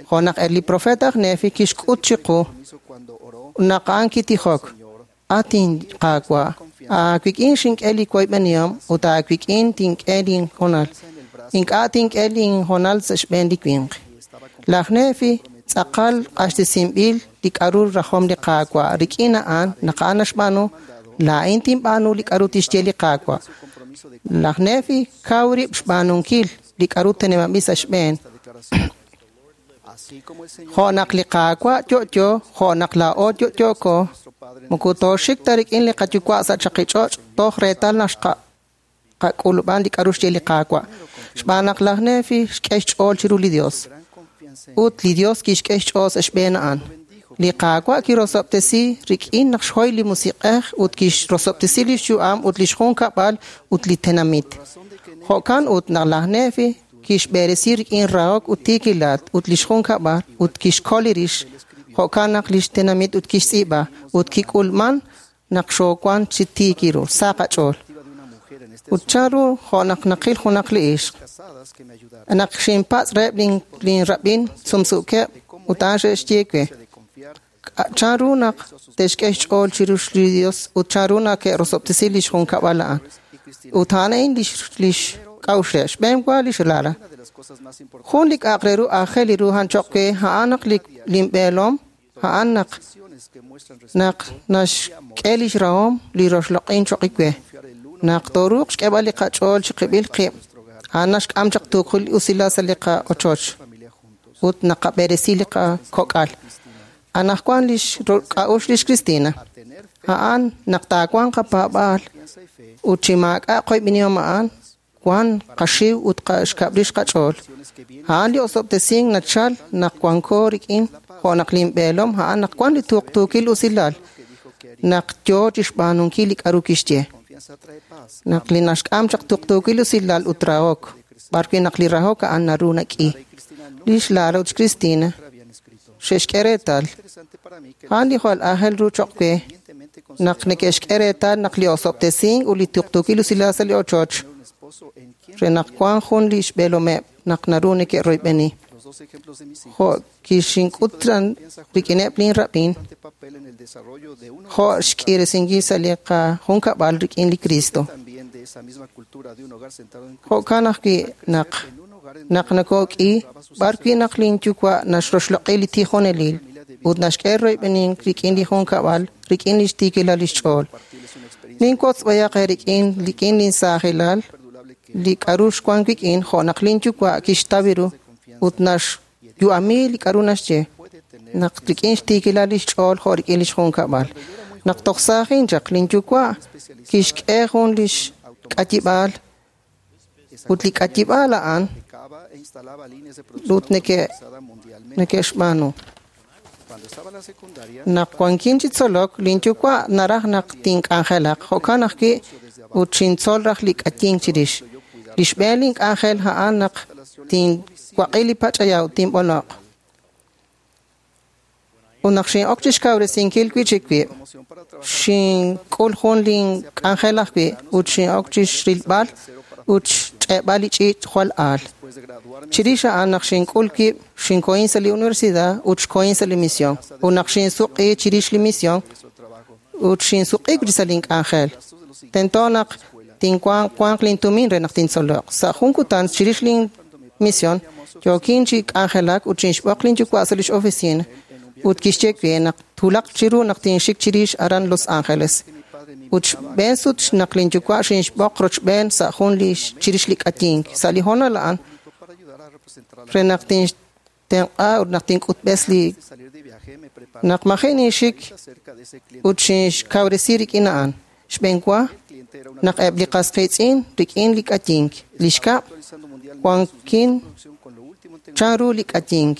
S9: Jo' naq eb' li profeta aj Nefi kixk'ut chiqu naq a'an kitijok. Atin Qaawa', aawik'in xink'e li woyb'enihom ut aawik'in tink'e linhonal. Ink'a' tink'e linhonal sa' xb'een li winq. Laj Nefi tz'aqal q'axtesinb'il li k'aru rajom li Qaawa'. Rik'in a'an naq a'an naxb'aanu, laa'in tinb'aanu li k'aru tixye li Qaawa'. Laj Nefi kaw rib' xb'aanunkil li k'aru teneb'anb'il sa' xb'een. Jo' naq li Qaawa' yo'yo, jo' naq laa'o yo'yooko, moko tooxik ta rik'in li qayuwa' sa' chaqich'och' toj reetal naq xqak'ulub'an li k'aru xye li Qaawa'. Xb'aan naq laj Nefi xk'e xch'ool chiru li Dios. Ut li Dios kixk'e xch'ool sa' xb'een a'an. Li Qaawa' kirosob'tesi rik'in naq xhoy li Musiq'ej ut kixrosob'tesi lix yu'am ut lix junkab'al ut li tenamit. Jo'kan ut naq laj Nefi kixb'eresi rik'in rahok ut tiikilal ut lix junkab'al ut kixkol li rix. Jo'kan naq lix tenamit ut kixtz'iib'a ut kik'ulman naq xoowan chi tiik ru, sa qach'ool. Ut chanru jo' naq naqil junaq li ixq. Naq xinpatz' reheb' lin rab'in sumsuukeb' ut a'an xe'xye we. Chanru naq te'xk'e xch'ool chiru li Dios ut chanru naq ke'rosob'tesi lix junkab'al a'an. Ut a'an a'in lix k'a'uxleb'. Xb'een wa lix Lara. Jun li k'a'aq re ru aajel li ru a'an choq' we, a'an naq lin b'eelom, a'an naq naxk'e lix rahom li roxloq'in choq' we. Naq tooruuq xk'eeb'al li qach'ool chiqib'il qib', a'an naxk'am chaq tuuqul usilal sa' li qa'ochoch ut naqab'eresi li qakok'al. Anajwan lix k'a'uxl lix Cristina, a'an naq taawanq qapaab'aal ut chi maak'a' qoyb'inihom a'an, wan qaxiw ut xkab'rix qach'ool. A'an li osob'tesink nachal naq wanko rik'in jo' naq linb'eelom a'an naq wan li tuqtuukil usilal naq yoo chixb'aanunkil li k'a'ru kixye. Naq li naxk'am chaq tuqtuukil usilal ut rahok, b'arwi' naq li rahok a'an naru nak'i. Lix Lara ut Cristina xe'xk'e reetal. A'an li jwal aajel ru choq' we naq neke'xk'e reetal naq li osob'tesink ut li tuqtuukil usilal sa' li ochoch re naq wan jun li xb'eelomeb' naq naru neke'royb'eni. Jo' kixink'ut rik'ineb' lin rab'in, jo' xk'iresinkil sa' li qajunkab'al rik'in li Cristo. Jo'kan ajwi' naq nakok'i b'arwi' naq lin yuwa' naxroxloq'i li tijonelil ut naxk'e royb'enink rik'in li junkab'al rik'in lix tiikilal lix ch'ool. Ninwotz b'ayaq rik'in lin saajilal li k'a'ru xwan wik'in jo' naq lin yuwa' kixtaw ru ut naxyu'ami li k'a'ru naxye naq rik'in xtiikilal lix ch'ool jo' rik'in lix junkab'al. Naq toj saajin chaq lin yuwa' kixk'e jun lix k'ayib'aal ut li k'ayib'aal a'an ut neke'xb'aanu. Naq wankin chi tzolok, lin yuwa' naraj naq tink'anjelaq, jo'kan ajwi' ut xintzol raj li k'ayink chirix. Li xb'een lin k'anjel a'an naq tinwaq'i li pach'aya ut tinb'onoq. Ut naq xin'ok chixkawresinkil wi'chik wib', xink'ul jun lin k'anjel ajwi' ut xin'ok chixrilb'al ut xch'e'b'al li ch'iich' jwal aal. Chirix a'an naq xink'ul wib', xinkohin sa' li universidad ut xkohin sa' li misión. Ut naq xinsuq'i chirix li misión ut xinsuq'i wi'chik sa' lin k'anjel. Tento naq tinwanq lin tumin re naq tintzoloq. Sa' jun kutan chirix lin misión, yookin chi k'anjelak ut xinxb'oq lin yuwa' sa' lix oficina ut kixye we naq twulaq chiru naq tinxik chirix aran Los Angeles. Ut xb'een sut naq lin yuwa' xinxb'oq rochb'een sa' jun li chirix li k'ayink. Sa' li hoonal a'an re naq tinxtenq'a ut naq tink'utb'es li naq maji' ninxik ut xinxkawresi rik'in a'an. Xb'een wa naq eb' li qas qiitz'in rik'in li k'ayink. Li xkab' wankin chanru li k'ayink.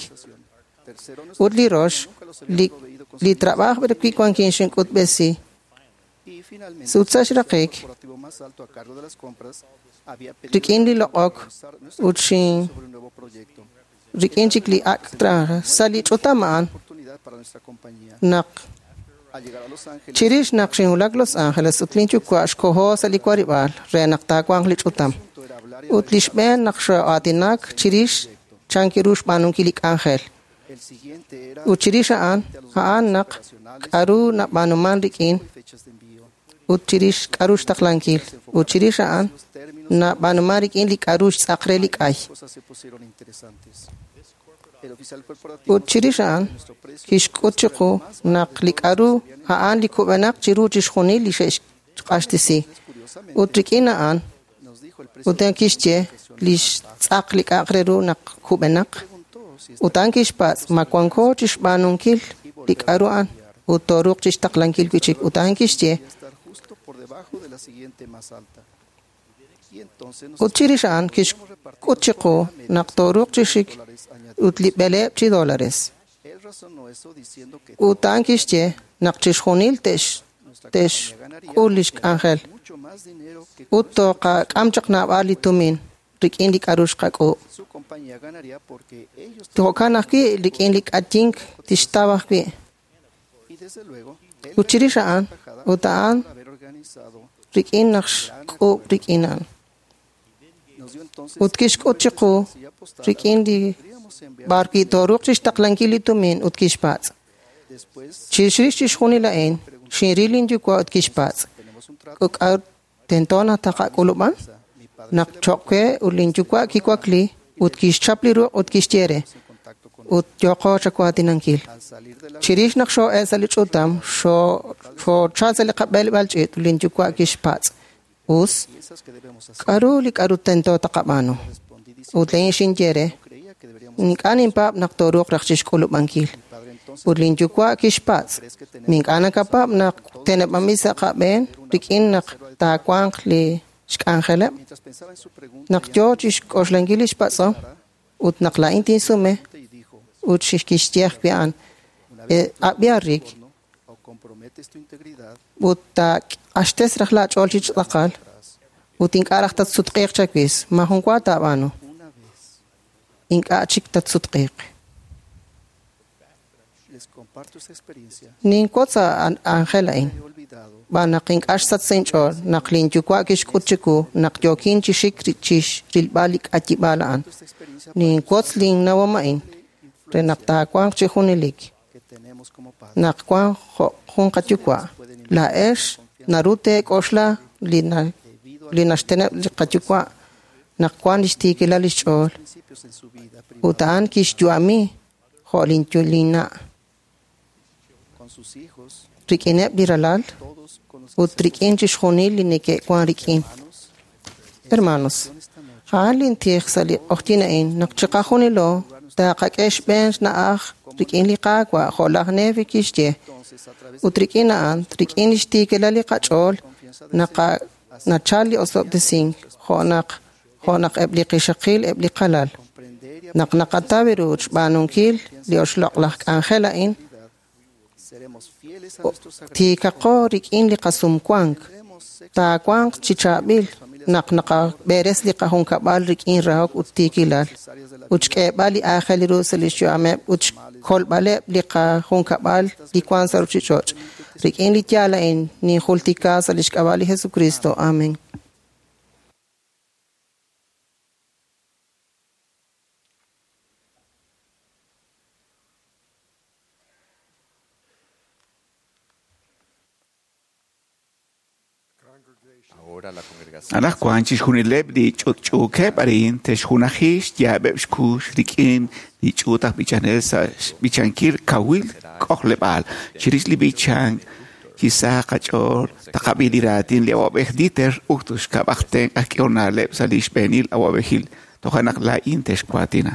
S9: Ut li rox li trab'aj b'arwi' wankin xink'utb'esi. Ut sa' xraqik rik'in li loq'ok ut rik'in chik li ak' traje sa' li ch'utam a'an naq chirix naq xinwulak Los Angeles ut lin yuwa' xkoho sa' li warib'aal re naq taawanq li ch'utam. Ut li xb'een naq xoo'aatinak chirix chan kiru xb'aanunkil li k'anjel. Ut chirix a'an naq k'a'ru nab'aanuman rik'in ut chirix k'a'ru xtaqlankil. Ut chirix a'an nab'aanuman rik'in li k'a'ru xtz'aq re li k'ay. Ut chirix a'an kixk'ut chiqu naq li k'a'ru a'an li kub'enaq chiru chixjunil li xe'xq'axtesi. Ut rik'in a'an ut kixye li xtz'aq li k'a'aq re ru naq kub'enaq. Ut a'an kixpatz' ma wanko chixb'aanunkil li k'a'ru a'an ut tooruuq chixtaqlankil wi'chik. Ut a'an kixye ut chirix a'an kixk'ut chiqu naq tooruuq chi xik ut li b'eleeb' chi dólares. Ut a'an kixye naq chixjunil te'xk'ul lix k'anjel. Ut toqak'am chaq naab'al li tumin rik'in li k'a'ru xqak'uub'. Jo'kan ajwi' rik'in li k'atink tixtaw ajwi'. Ut chirix a'an, ut a'an rik'in naq xk'uub' rik'in a'an. Ut kixk'ut chiqu rik'in li b'ar wi' tooruuq chixtaqlankil li tumin ut kixpatz'. Chirix chixjunil a'in, xinril linyuwa' ut kixpatz'. K'a'ut tento naq taqak'ulub'an? Naq choq' we ut linyuwa' kiwakli ut kixchap li ruq' ut kixye re. Ut yooqo chawaatinankil. Chirix naq xoo'el sa' li ch'utam, xoochal sa' li qab'eleb'aal ch'iich' ut linyuwa' kixpatz'. Us, k'a'ru li k'a'ru tento taqab'aanu? Ut laa'in xinye re, ink'a' ninpaab' naq tooruuq raj chixk'ulub'ankil. Ut linyuwa' kixpatz', ink'a' nakapaab' naq teneb'anb'il sa' qab'een rik'in naq taawanq li xk'anjeleb'? Naq yoo chixk'oxlankil lix patz'om, ut naq laa'in tinsume, ut kixye ajwi' a'an, ab'i Rick, ut taaq'axtes raj laach'ool chi tz'aqal, ut ink'a' raj tatsutq'iiq chawix, maajun wa taab'aanu. Ink'a' chik tatsutq'iiq. Ninwotz Angel a'in. B'an naq ink'a' xsach sa' inch'ool naq linyuwa' kixk'ut chiwu naq yookin chi xik chixrilb'al li k'ayib'aal a'an. Ninwotz linnawom a'in re naq taawanq chi junelik. Naq wank jo' jun qayuwa', laa'ex naru teek'oxla li naxteneb' li qayuwa' naq wank lix tiikilal lix ch'ool. Ut a'an kixyu'ami jo' linna'. Rik'ineb' li ralal ut rik'in chixjunil li neke'wan rik'in. Hermanos, a'an lintij sa' li q'ojyin a'in naq chiqajunilo taqak'e xb'een xna'aj rik'in li Qaawa' jo' laj Nefi kixye. Ut rik'in a'an, rik'in lix tiikilal li qach'ool, nachal li osob'tesink jo' naq eb' li qixaqil eb' li qalal. Naq naqataw ru xb'aanunkil li oxloq' laj k'anjel a'in, tiikaqo rik'in li qasumwank, taawanq chi chaab'il naq naqab'eres li qajunkab'al rik'in rahok ut tiikilal, ut xk'eeb'al li aajel ru sa' lix yu'ameb' ut xkolb'aleb' li qajunkab'al li wank sa' ruchich'och'. Rik'in li yaal a'in ninjultika sa' lix k'ab'a' li Jesucristo. Amen.
S4: Anaqwan chixjunileb' li ch'utch'uukeb' arin te'xjunaji xyaab'eb' xkux rik'in li ch'uut aj b'ichanel sa' xb'ichankil kawil k'ojleb'aal. Chirix li b'ichank chi sa qach'ool taqab'i li raatin li awab'ej Dieter ut xkab'aj tenq' aj k'ehol na'leb' sa' li xb'eenil awab'ejil. Toja' naq laa'in te'xwaatina.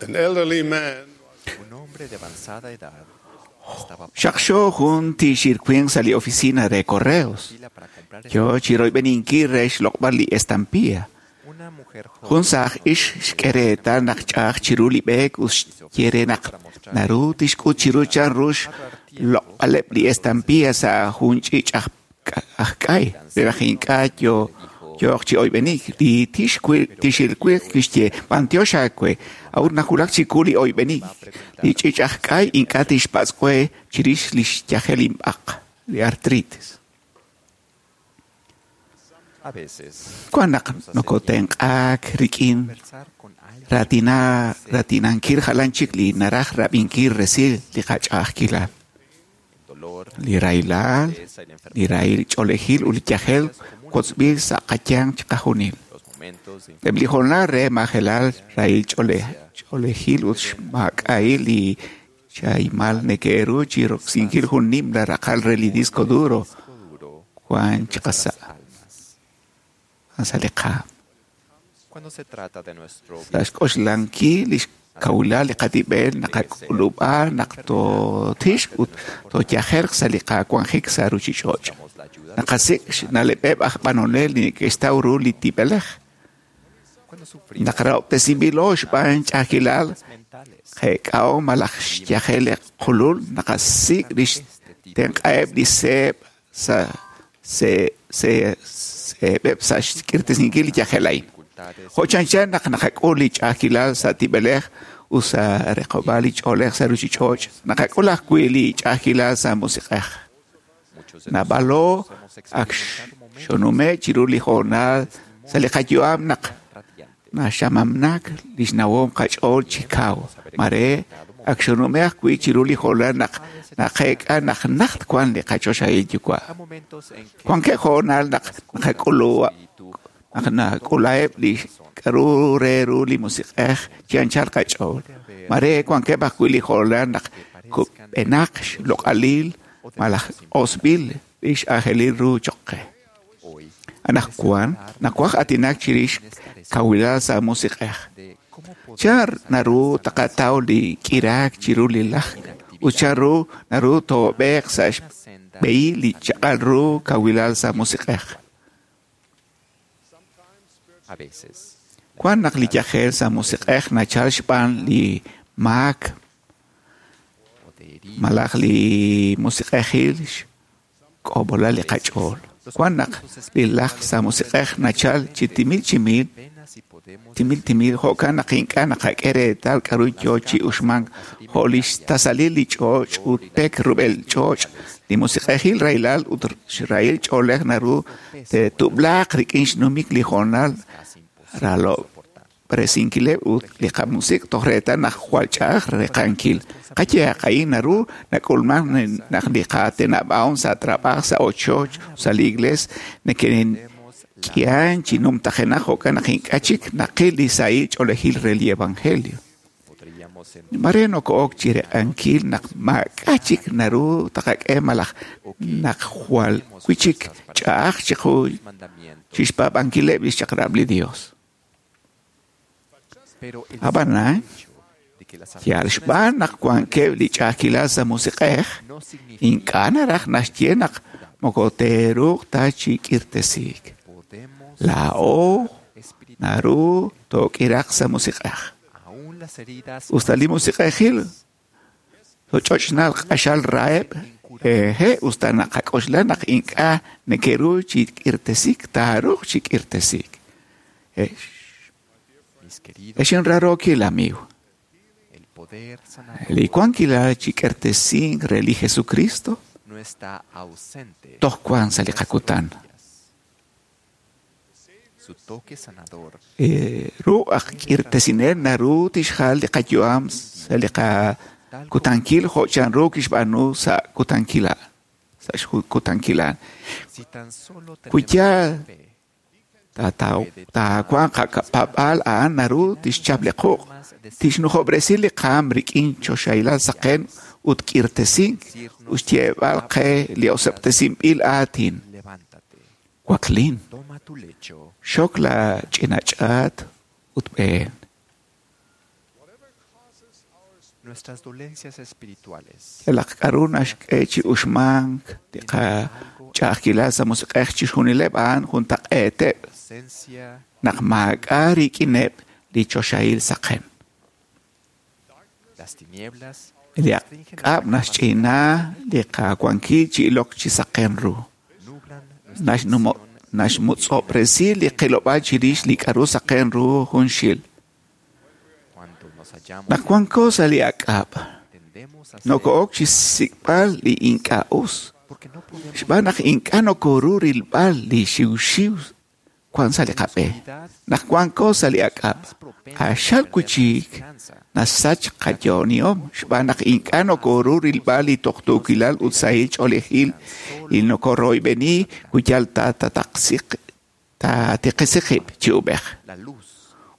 S10: An elderly man
S3: Un hombre de avanzada edad estaba
S4: Xaqxo jun tixirwin sa li oficina de correos.
S3: fila para comprar
S4: Yo chiroyb'eninkil re xloq'b'al li estampilla.
S3: una mujer joven
S4: Jun saj ix xk'ereetal naq ch'aj chiru li b'eek ut xye re naq naru tixk'ut chiru chan ru xloq'b'aleb' li estampilla sa' jun ch'iich' aj k'ay re naq ink'a' yooq chi oyb'enik. Li tixilwiq kixye b'antiox aawe a'ut najulak chiku li oyb'enik. Li ch'iich' aj k'ay ink'a' tixpatz' we chirix li xyajel inb'aq, li artritis.
S3: A veces
S4: Wan naq nokotenq'aak rik'in
S3: conversar con alguien
S4: ratina ratinankil jalan chik li naraj rab'inkil resil li qach'a'ajkilal,
S3: el dolor,
S4: li rahilal,
S3: tristeza y la
S4: li
S3: enfermedad,
S4: rahil ch'oolejil ut li yajel kotzb'il sa' qayanq chiqajunil.
S3: los momentos de
S4: Eb' li hoonal re majelal rahil ch'oolejil ut xmaak'a'il li chahimal neke'ru chi roksinkil jun nimla raqal re li disco duro
S3: disco duro
S4: wan chiqasa'
S3: almas.
S4: sa' li qaam.
S3: Cuando se trata de nuestro
S4: Sa' xk'oxlankil li xkawilal li qatib'el naqak'ulub'a naq tootixq ut tooyajerq sa' li qawanjik sa' ruchich'och'.
S3: buscamos la ayuda de
S4: Naqasik' xna'leb'eb' aj b'anonel li neke'xtaw ru li tib'elej.
S3: cuando sufrimos
S4: Naqrahob'tesinb'ilo xb'aan ch'a'ajkilal
S3: mentales.
S4: qeek'aw malaj xyajel li qulul naqasik' li xtenq'aheb' li seeb' sa' seeb'eb' sa' xk'irtesinkil li yajel a'in.
S3: Dificultades
S4: Jo' chanchan naq naqak'ul li ch'a'ajkilal sa' tib'elej ut sa' reqob'al li ch'oolej sa' ruchich'och', naqak'ul ajwi' li ch'a'ajkilal sa' musiq'ej.
S3: muchos de
S4: Naab'alo
S3: nosotros hemos
S4: ak
S3: experimentado momentos
S4: xonume' chiru li hoonal sa' li qayu'am naq
S3: radiantes.
S4: naxamamnak li xnawom qach'ool chi kaw. Mare ak xonume' ajwi' chiru li hoonal naq naqeek'a naq najt wan li qachoxahil yuwa'.
S3: A momentos en que
S4: Wankeb' hoonal naq naqak'ulu naq nak'ulaheb' li k'aru re ru li musiq'ej chi anchal qach'ool. Mare wankeb' ajwi' li hoonal naq kub'enaq xloq'alil malaj osb'il li x'aajelil ru choq' qe.
S3: hoy
S4: Anaqwan nawaj aatinak chirix kawilal sa' musiq'ej.
S3: de cómo podemos
S4: Chan naru taqataw li k'iraak chiru li lajk ut chan ru naru toob'eeq sa' xb'ehil li chaq'al ru kawilal sa' musiq'ej.
S3: a veces
S4: Wan naq li yajel sa' musiq'ej nachal xb'aan li maak
S3: o de heridas
S4: malaj li musiq'ejil xk'ob'olal li qach'ool. Wan naq li lajk sa' musiq'ej nachal chi timil chimil,
S3: apenas si podemos
S4: timil timil jo'kan naq ink'a' naqak'e reetal k'aru yoo chi uxmank jo' li xtasalil li ch'och' ut pek rub'el ch'och' li musiq'ejil rahilal ut xrahil ch'oolej naru te'tub'laaq rik'in xnumik li hoonal
S3: casi imposible
S4: ralo
S3: soportar.
S4: presinkileb' ut li qamusiq toj reetal naq jwal ch'a'aj reqankil. Qayehaq a'in naru nak'ulman naq li qatenab'ahom sa' trab'aj sa' ochoch sa' li iglees neke'k'ihan chi numtajenaq jo'kan naq ink'a' chik naqil li sahil ch'oolejil re li evangelio.
S3: Podríamos sentir
S4: Mare noko'ok chi req'ankil naq maak'a' chik naru taqak'e malaj naq jwal wi' chik ch'a'aj chiqu
S3: mandamientos,
S4: chixpaab'ankileb' li xchaq'rab' li Dios.
S3: pero el
S4: Ab'anan,
S3: hecho de que las
S4: yal
S3: aflicciones
S4: xb'aan naq wankeb' li ch'a'ajkilal sa' musiq'ej,
S3: no significa
S4: ink'a' naraj naxye naq moko teeruuq ta chi k'irtesiik.
S3: podemos
S4: Laa'o
S3: espiritual
S4: naru took'iraq sa' musiq'ej.
S3: aún las heridas
S4: Usta li musiq'ejil toch'ochnal q'axal raheb', eje, usta naqak'oxla naq ink'a' neke'ru chi k'irtesiik, taaruuq chi k'irtesiik.
S3: mis queridos
S4: Ex inrarookil amigo,
S3: el poder sanador
S4: li wankilal chi k'irtesink re li Jesucristo
S3: no está ausente
S4: toj wan sa' li
S3: en nuestros
S4: qakutan.
S3: días. Su toque sanador
S4: Ru aj k'irtesinel naru tixjal li qayu'am sa' li qakutankil jo' chanru kixb'aanu sa' kutankila sa' xkutankilan.
S3: si tan solo
S4: Wi
S3: tenemos
S4: yaal
S3: fe
S4: taawanq qak'ab'al a'an naru tixchap li quq', tixnujob'resi li qaam rik'in choxahilal saqen ut k'irtesink ut xyeeb'al qe li oseb'tesinb'il aatin.
S3: levántate
S4: Waklin,
S3: toma tu lecho
S4: xok la ch'ina ch'aat ut b'een. Yalaq k'aru naxk'e chi uxmank li qach'a'ajkilal sa' musiq'ej chixjunileb' a'an juntaq'eeteb' naq maak'a' rik'ineb' li choxahil saqen. Li ak'ab' naxch'ina li qawankil chi ilok chi saqen ru. Naxmutz'ob'resi li qilob'aal chirix li k'aru saqen ru junxil. Naq wanko sa' li ak'ab', noko'ok chi xsik'b'al li ink'a' us. Xb'aan naq ink'a' nokoru rilb'al li xiwxiw wan sa' li qab'e. Naq wanko sa' li ak'ab', q'axal wi' nasach qayo'onihom xb'aan naq ink'a' nokoru rilb'al li tuqtuukilal ut sahil ch'oolejil li nokoroyb'eni wi yal taatiqisi qib' chi ub'ej.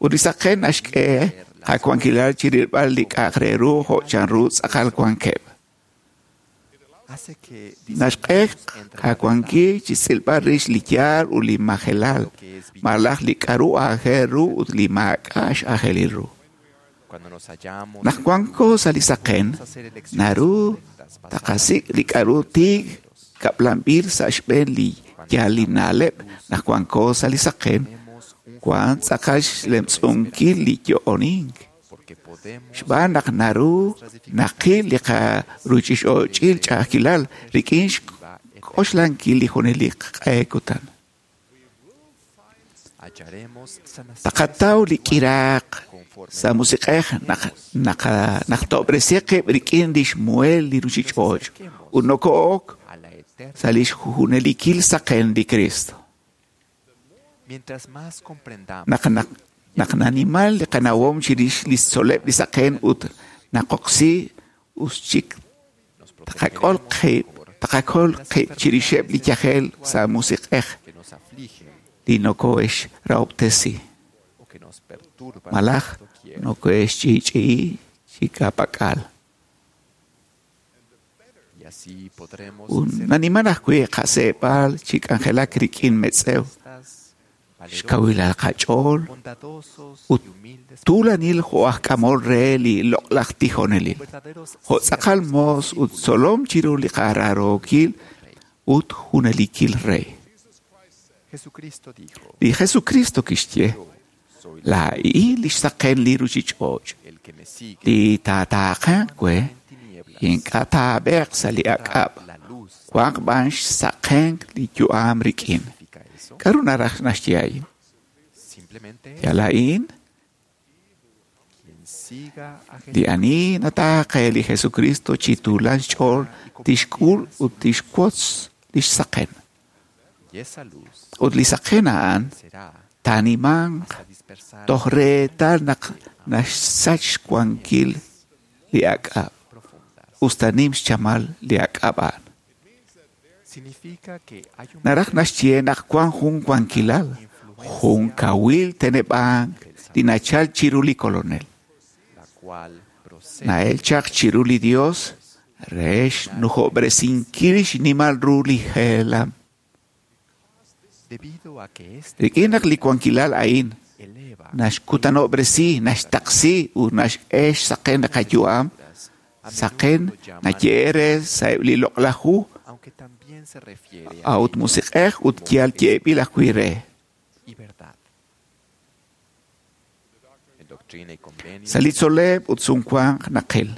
S4: Ut li saqen naxk'e qawankilal chi rilb'al li k'a'aq re ru jo' chanru tz'aqal wankeb'. Naxk'e qawankil chi xtz'ilb'al rix li yaal ut li majelal, malaj li k'aru aajel ru ut li maak'a' x'aajelil ru. Naq wanko sa' li saqen, naru taqasik' li k'aru tiik kab'lanb'il sa' xb'een li yaalil na'leb'. Naq wanko sa' li saqen, wan tz'aqal xlemtz'unkil li yo'onink. Xb'aan naq naru naqil li qaruuchich'och'il ch'a'ajkilal rik'in xk'oxlankil li junelik q'e kutan. Taqataw li k'iraaq sa' musiq'ej naq tob'resi qib' rik'in li xmuhel li ruuchich'och' ut noko'ok sa' li xjunelikil saqen li Cristo. Naq nanimal li qanawom chirix li xtzol'leb' li saqen ut naqoksi us chik taqakol qib' chirixeb' li yajel sa' musiq'ej li nokohe'xrahob'tesi malaj nokohe'xch'i'ch'i'i chi ka'pak'al. Ut naniman ajwi' qaseeb'al chi k'anjelak rik'in metz'ew, xkawilal qach'ool ut tuulanil jo' aj k'amol re li loq'laj tijonelil, jo' tz'aqal moos ut tzolom chiru li qaraarookil ut junelikil rey. Li Jesucristo kixye, laa'in li xsaqen li ruuchich'och', li taataaqanq we ink'a' taab'eeq sa' li ak'ab', wanq b'an xsaqenk li yu'am rik'in. K'aru naraj naxye a'in? Yal a'in, li ani nataaqe li Jesucristo chi tuulan xch'ool tixk'ul ut tixwotz li xsaqen. Ut li saqen a'an taanimanq toj reetal naq naxsach xwankil li ak'ab', usta nim xchamal li ak'ab' a'an. Naraj naxye naq wan jun wankilal, jun kawil teneb'ank li nachal chiru li Kolonel. Na'el chaq chiru li Dios re xnujob'resinkil xnimal ru li jeelam. Rik'in naq li wankilal a'in naxkutanob'resi, naxtaqsi ut naxk'e xsaqen li qayu'am, saqen naye'e re sa'eb' li loq'laj hu, a'ut musiq'ej ut yal ye'b'il ajwi' re. Sa' li tzol'leb' ut sumwank naqil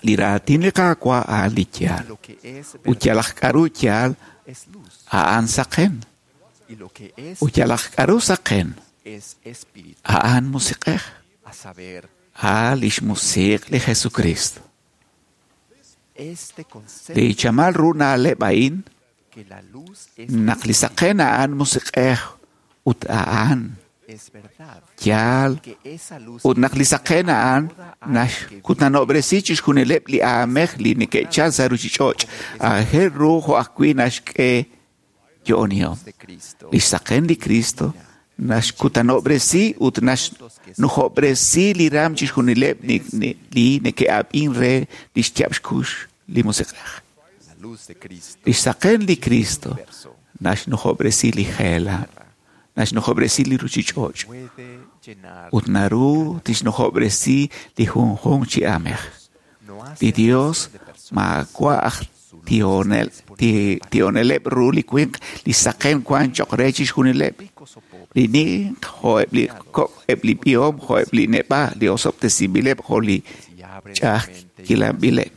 S4: li raatin li Qaawa' a'an li yaal, ut yalaq k'aru yaal a'an saqen, ut yalaq k'aru saqen a'an musiq'ej, a' li xmusiq' li Jesucristo. Li chamal ru na'leb' a'in naq li saqen a'an musiq'ej ut a'an yaal, ut naq li saqen a'an naxkutanob'resi chixjunileb' li aamej li neke'chal sa' ruuchich'och', aajel ru jo' ajwi' naxk'e yo'onihom. Li xsaqen li Cristo naxkutanob'resi ut naxnujob'resi li raam chixjunileb' li neke'ab'in re li xyaab' xkux li musiq'ej. Li xsaqen li Cristo naxnujob'resi li jeelam, naxnujob'resi li ruuchich'och' Ut naru tixnujob'resi li junjunq chi aamej. Li Dios maawa' aj tihoneleb' ru li winq li saqen wan cho'q re chixjunileb'. Li ninq jo'eb' li kok', eb' li b'ihom jo'eb' li neb'a', li osob'tesinb'ileb' jo' li ch'a'ajkilanb'ileb'.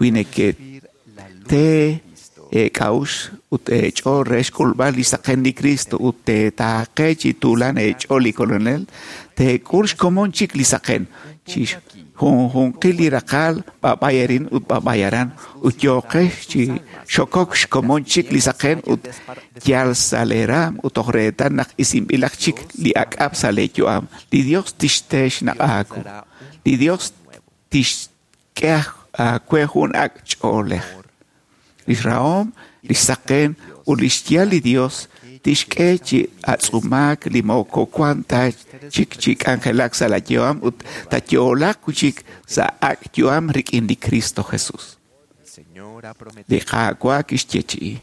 S4: Wi nekete eek'a'uxl ut eech'ool re xk'ulb'al li saqen li Cristo ut teetaaqe chi tuulan eech'ool li Kolonel, teek'ul xkomon chik li saqen chi junjunqil li raqal b'ab'ay arin ut b'ab'ay aran ut yooqex chi xokok xkomon chik li saqen ut yal sa' lee raam ut toj reetal naq isinb'ilaq chik li ak'ab' sa' lee yu'am. Li Dios tixte xnaq' aawu. Li Dios tixk'e aawe jun ak' ch'oolej. Lix rahom, lix saqen ut lix yaal li Dios tixk'e chi atz'umaak li moko wan ta chik chi k'anjelak sa' la yu'am ut tayo'laaq chik sa' ak' yu'am rik'in li Cristo Jesus. Li Qaawa' kixyeechi'i.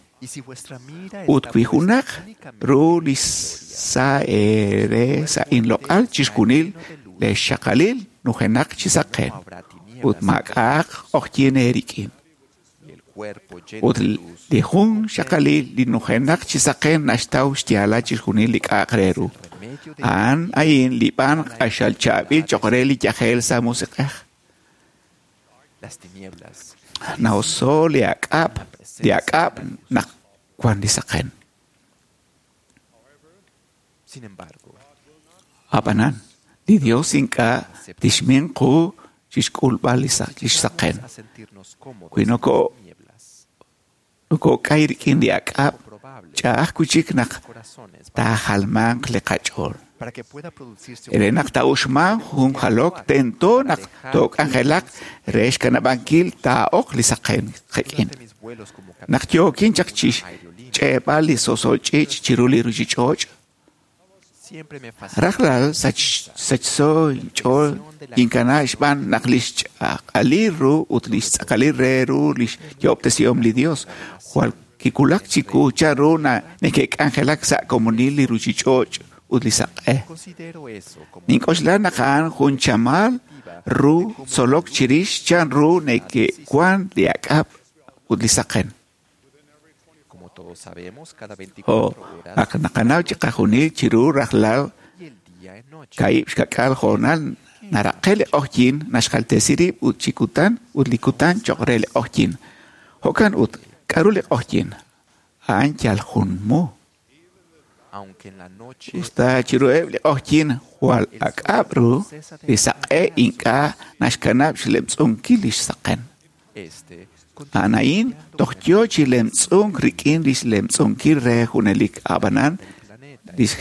S4: Ut wi junaq ru li sa' eere sa' inloq'al chixjunil lee xxaqalil nujenaq chi saqen ut maak'a'aq q'oqyink eerik'in. Ut li jun xaqalil li nujenaq chi saqen naxtaw xyaalal chixjunil li k'a'aq re ru. A'an a'in li b'an q'axal chaab'il cho'q re li yajel sa' musiq'ej. Na'oso li ak'ab' naq wan li saqen. Ab'anan, li Dios ink'a' tixmin qu chixk'ulb'al li saqen. Wi nokok'ay rik'in li ak'ab', ch'a'aj wi' chik naq taajalmanq li qach'ool. Re naq taa'uxmanq jun jalok tento naq took'anjelaq re xkanab'ankil taa'ok li saqen qik'in. Naq yookin chaq chixch'eeb'al li so'sol ch'iich' chiru li ruchich'och', rajlal sachso inch'ool kinkana xb'aan naq lix ch'aq'alil ru ut lix tz'aqalil re ru lix yo'ob'tesihom li Dios jwal kiwulak chiwu chanru neke'k'anjelak sa' komonil li ruchich'och' ut li saq'e. Nink'oxla naq a'an jun chamal ru tzolok chirix chanru neke'wan li ak'ab' ut li saqen. Jo' ak naqanaw chiqajunil chiru rajlal kaib' xka'k'aal hoonal naraqe li q'oqyink naxjaltesi rib' ut chi kutan ut li kutan cho'q re li q'oqyink. Jo'kan ut, k'aru li q'oqyink? A'an yal jun mu. Usta chiruheb' li q'oqyink jwal ak'ab' ru, li saq'e ink'a' naxkanab' xlemtz'unkil li xsaqen. A'an a'in toj yoo chi lemtz'unk rik'in lix lemtz'unkil re junelik ab'anan lix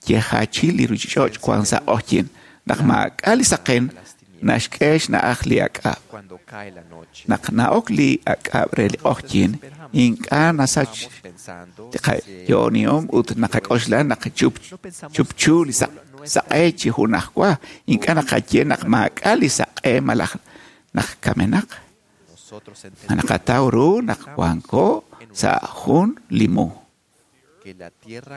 S4: yejachil li ruchich'och' wan sa' q'oqyink. Naq maak'a' li saqen naxk'e xna'aj li ak'ab'. Naq na'ok li ak'ab' re li q'oqyink ink'a' nasach li qayo'onihom ut naqak'oxla naq chupchu li saq'e chi junajwa. Ink'a' naqaye naq maak'a' li saq'e malaj naq kamenaq. Naqataw ru naq wanko sa' jun li mu.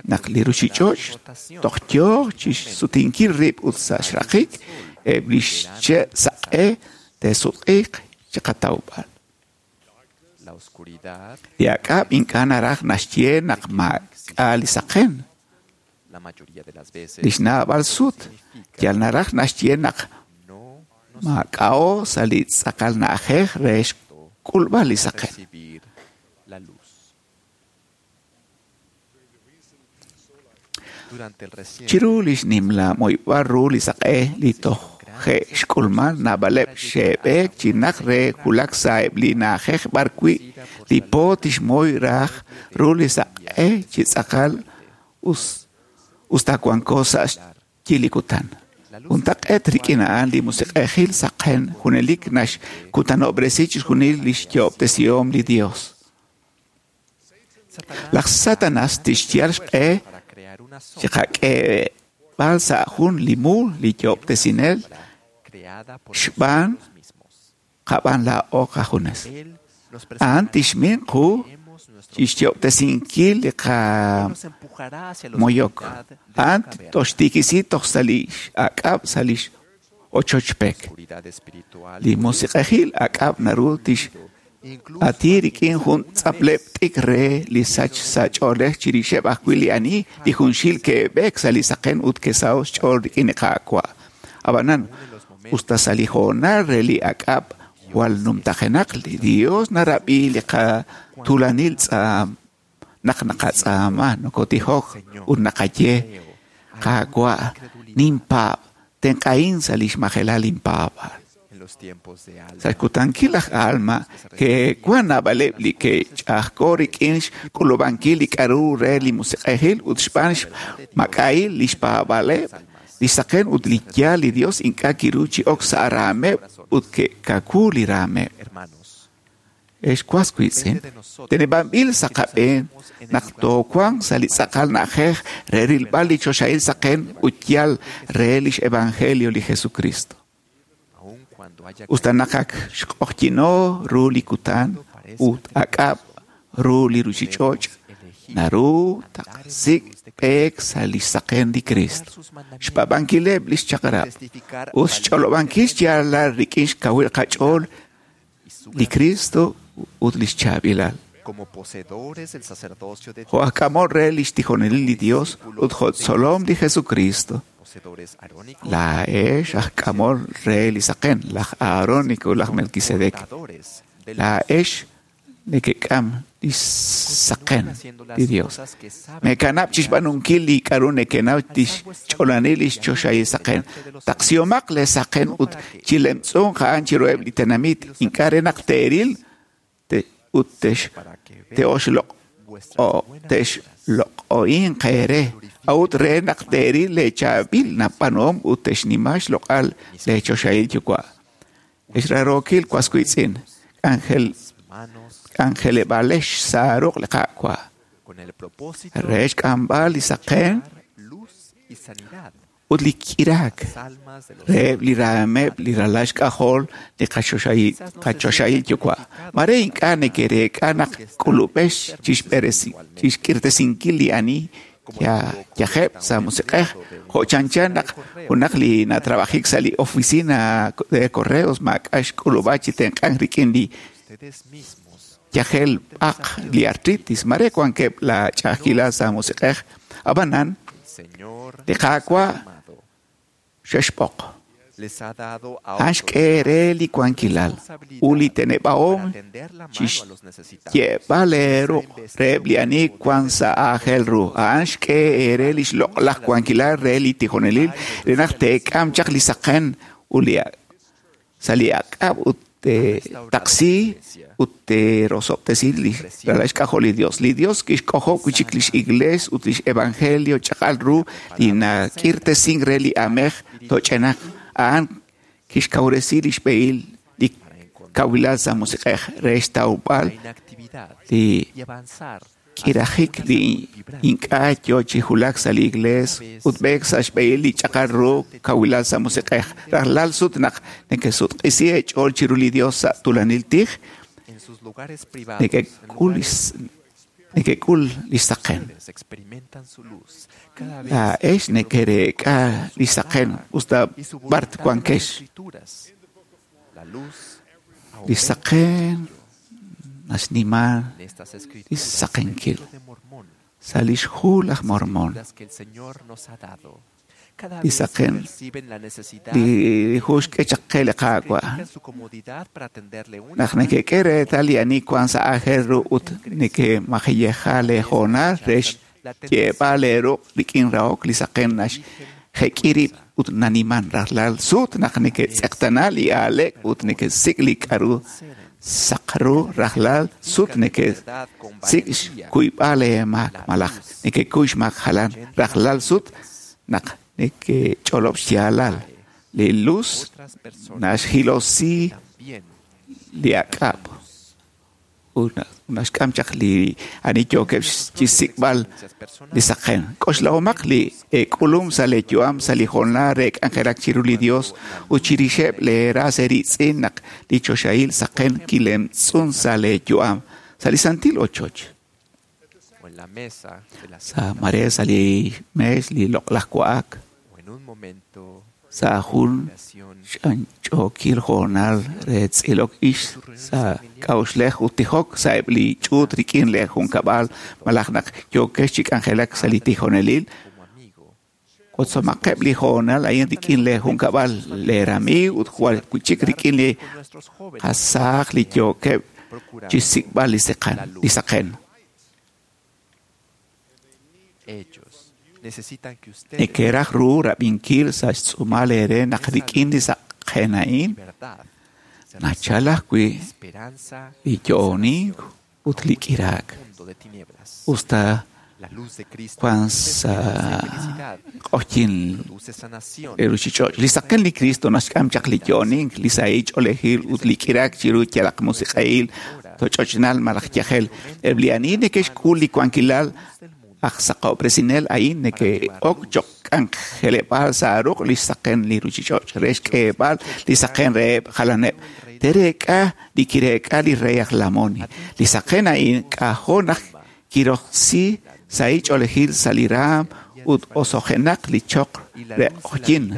S4: Naq li ruchich'och' toj yoo chixsutinkil rib' ut sa' xraqik eb' li xche' saq'e te'sutq'iiq chiqatawb'al. Li ak'ab' ink'a' naraj naxye naq maak'a' li saqen. Li xnaab'al sut yal naraj naxye naq maak'a'o sa' li tz'aqal na'ajej re xk'ulb'al li saqen. Chiru lix nimla moyb'al ru li saq'e li toj je' xk'ulman naab'aleb' xe'b'eek chi naq re wulak sa' eb' li na'ajej b'ar wi' li po tixmoy raj ru li saq'e chi tz'aqal usta wanko sa' xyi li kutan. Juntaq'eet rik'in a'an li musiq'ejil saqen junelik naxkutanob'resi chixjunil lix yo'ob'tesihom li Dios. Laj Satanas tixyal xq'e chiqak'eeb'al sa' jun li mu li yo'ob'tesinel xb'aan qab'an laa'o qajunes. A'an tixmin qu Chixyo'ob'tesinkil li qamoyok. A'an toxtiikisi toj sa' li ak'ab' sa' li ochochpek. Li musiq'ejil ak'ab' naru tix ati rik'in jun tz'apleb' t'ik re li sach sa' ch'oolej chirixeb' ajwi' li ani li junxil ke'b'eek sa' li saqen ut ke'saho' xch'ool rik'in li Qaawa'. Ab'anan, usta sa' li hoonal re li ak'ab' jwal numtajenaq li Dios narab'i li qatuulanil tz'aam naq naqatz'aama nokotijok ut naqaye Qaawa' ninpaab' tenq'ahin sa' li xmajelal inpaab'aal. Sa' xkutankil laj Alma ke'wan naab'aleb' li ke'ch'a'ajko' rik'in xk'ulub'ankil li k'a'ru re li musiq'ejil ut xb'aan xmak'a'il li xpaab'aaleb', li saqen ut li yaal li Dios ink'a' kiru chi ok sa' raameb' ut ke'kawu li raameb'. Ex was wiitz'in, teneb'anb'il sa' qab'een naq toowanq sa' li tz'aqal na'ajej re rilb'al li choxahil saqen ut yaal re lix evangelio li Jesucristo. Usta naq ak xq'oqyino ru li kutan ut ak'ab' ru li ruchich'och', naru taqsik' b'eek sa' li xsaqen li Cristo, xpaab'ankileb' li xchaq'rab' ut xch'olob'ankil xyaalal rik'in xkawil qach'ool li Cristo ut li xchaab'ilal. Jo' aj k'amol re li xtijonelil li Dios ut jo' tzolom li Jesucristo, laa'ex aj k'amol re li saqen, laj Aarónico ut laj Melquisedec. Laa'ex nekek'am li saqen li Dios. Mekanab' chixb'aanunkil li k'a'ru nekenaw tixch'oolani li xchoxahil saqen. Taqsihomaq le saqen ut chilemtz'unq a'an chiruheb' li tenamit, ink'a' re naq teeril ut te'xloq'o'inq eere, a'ut re naq teeril leechaab'il nab'aanuhom ut te'xnima xloq'al leechoxahil Yuwa'. Ex raarookil was wiitz'in, k'anjeleb'aalex sa' ruq' li Qaawa' re xk'amb'al li saqen ut li k'iraak reheb' li raameb' li ralal xk'ajol li qachoxahil Yuwa'. Mare ink'a' neke'reek'a naq k'ulub'ex chixk'irtesinkil li ani yajeb' sa' musiq'ej, jo' chanchan naq junaq li natrabajik sa' li oficina de correos maak'a' xk'ulub'a chi tenq'ank rik'in li yajel b'aq li artritis. Mare wankeb' la ch'a'ajkilal sa' musiq'ej, ab'anan li Qaawa' xexb'oq. A'an xk'e re li wankilal ut li teneb'ahom chixye'b'al eeruq' reheb' li ani wan sa' aajel ru. A'an xk'e eere li xloq'laj wankilal re li tijonelil re naq teek'am chaq li saqen ut li sa' li ak'ab' ut teetaqsi ut teerosob'tesi li ralal xk'ajol li Dios. Li Dios kixk'ojob' wi' chik lix iglees ut lix evangelio chaq'al ru li nak'irtesink re li aamej toch'enaq. A'an kixkawresi li xb'ehil li kawilal sa' musiq'ej re xtawb'al li k'irajik li ink'a' yo chi wulak sa' li iglees ut b'eek sa' xb'ehil li ch'aqal ru kawilal sa' musiq'ej. Rajlal sut naq nekesutq'isi eech'ool chiru li Dios sa' tuulanil tij, nekek'ul li saqen. Laa'ex nekereek'a li saqen usta b'ar wankex. Li saqen naxnima li saqenkil. Sa' li xhu laj Mormón, li saqen li hu xk'e chaq qe li Qaawa' naq nekek'e reetal li ani wan sa' aajel ru ut nekemajiyeja leehoonal re xye'b'al eeruq' rik'in rahok li saqen naxjek'i rib' ut naniman rajlal sut naq neketz'eqtana li aaleek ut nekesik' li k'a'ru saq ru rajlal sut nekesik' xkuyb'al eemaak malaj nekekuy xmaak jalan rajlal sut naq nekech'olob' xyaalal. Li luz naxjilosi li ak'ab' ut naxk'am chaq li ani yookeb' chixsik'b'al li saqen. K'oxlahomaq li eek'ulum sa' leeyu'am sa' li hoonal re k'anjelak chiru li Dios ut chirixeb' leeras eeritz'in naq li choxahil saqen kilemtz'un sa' leeyu'am. sa' li santil ochoch.
S3: O en la mesa de la
S4: Sa
S3: cena.
S4: mare sa' li mees li loq'laj wa'ak.
S3: O en un momento
S4: Sa' jun
S3: de oración.
S4: ch'anch'ookil hoonal re tz'ilok ix sa' k'a'uxlej ut tijok sa' eb' li ch'uut rik'in li junkab'al malaj naq yookex chi k'anjelak sa' li tijonelil.
S3: Como amigo.
S4: Wotzomaqeb' li hoonal a'in rik'in li junkab'al le ramiiw ut jwal wi'chik rik'in li
S3: Con nuestros jóvenes.
S4: qasaaj li yookeb' chi xsik'b'al li seqan li saqen.
S3: Ellos necesitan que ustedes
S4: Neke'raj ru rab'inkil sa' xtz'uumal eere naq rik'in li saqen a'in
S3: verdad se
S4: nachal ajwi'
S3: esperanza
S4: li yo'onink ut li k'iraak.
S3: mundo de tinieblas.
S4: Usta
S3: La luz de Cristo
S4: cuan
S3: produce
S4: sa
S3: esperanza y felicidad,
S4: q'oqyin
S3: produce sanación.
S4: li ruuchich'och'. Li saqen li Cristo naxk'am chaq li yo'onink, li sahil ch'oolejil ut li k'iraak chiru yalaq musiq'ahil, toch'ochnal malaj yajel. Eb' li ani neke'xk'ul li wankilal aj saqob'resinel a'in neke'ok choq' k'anjeleb'aal sa' ruq' li saqen li ruuchich'och' re xk'eeb'al li saqen reheb' jalaneb'. Tereek'a li kireek'a li rey aj Lamoni. Li saqen a'in k'ajo' naq kiroksi sahil ch'oolejil sa' li raam ut osojenaq li choq re q'oqyin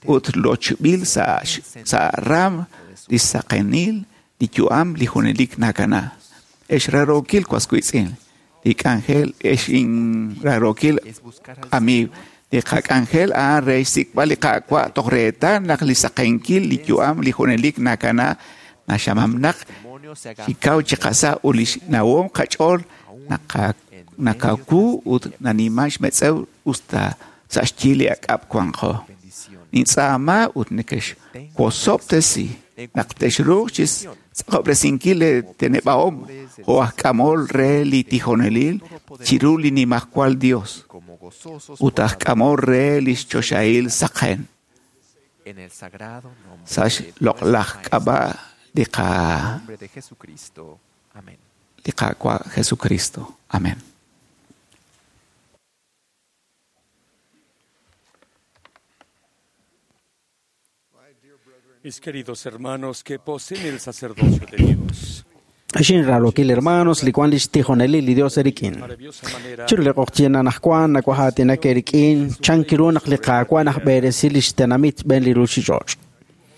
S4: ut lochb'il sa' sa' raam li saqenil li yu'am li junelik nakana. Ex rarookil waswiitz'in, li k'anjel ex inrarookil
S3: Es buscar al
S4: amiiw, li qak'anjel a'an re xsik'b'al li qaawa' toj reetal naq li saqenkil li yu'am li junelik nakana naxamamnaq
S3: demonio se haga
S4: xikaw chi qasa' ut li xnawom qach'ool nakaku ut naniman xmetz'ew usta sa' xyi li ak'ab' wanqo.
S3: bendición.
S4: Nintz'aama ut nekexwosob'tesi naq texruuq chi tz'aqob'resinkil li teneb'ahom jo' aj k'amol re li tijonelil chiru li nimajwal Dios
S3: Como gozosos
S4: ut aj k'amol re li xchoxahil saqen
S3: en el sagrado nombre
S4: sa'
S3: de
S4: xloq'laj
S3: nuestro
S4: k'ab'a' li qa
S3: nombre de Jesucristo. Amén.
S4: li Qaawa' Jesucristo. Amén.
S10: Mis queridos hermanos que poseen el sacerdocio de Dios.
S2: Xin rarookil hermanos li wan lix tijonelil li Dios erik'in.
S10: Maravillosa manera
S2: Chiru li q'oqyin anajwan nawajaatinak erik'in chan kiru naq li Qaawa' najb'eresi lix tenamit b'een li ruuchich'och'.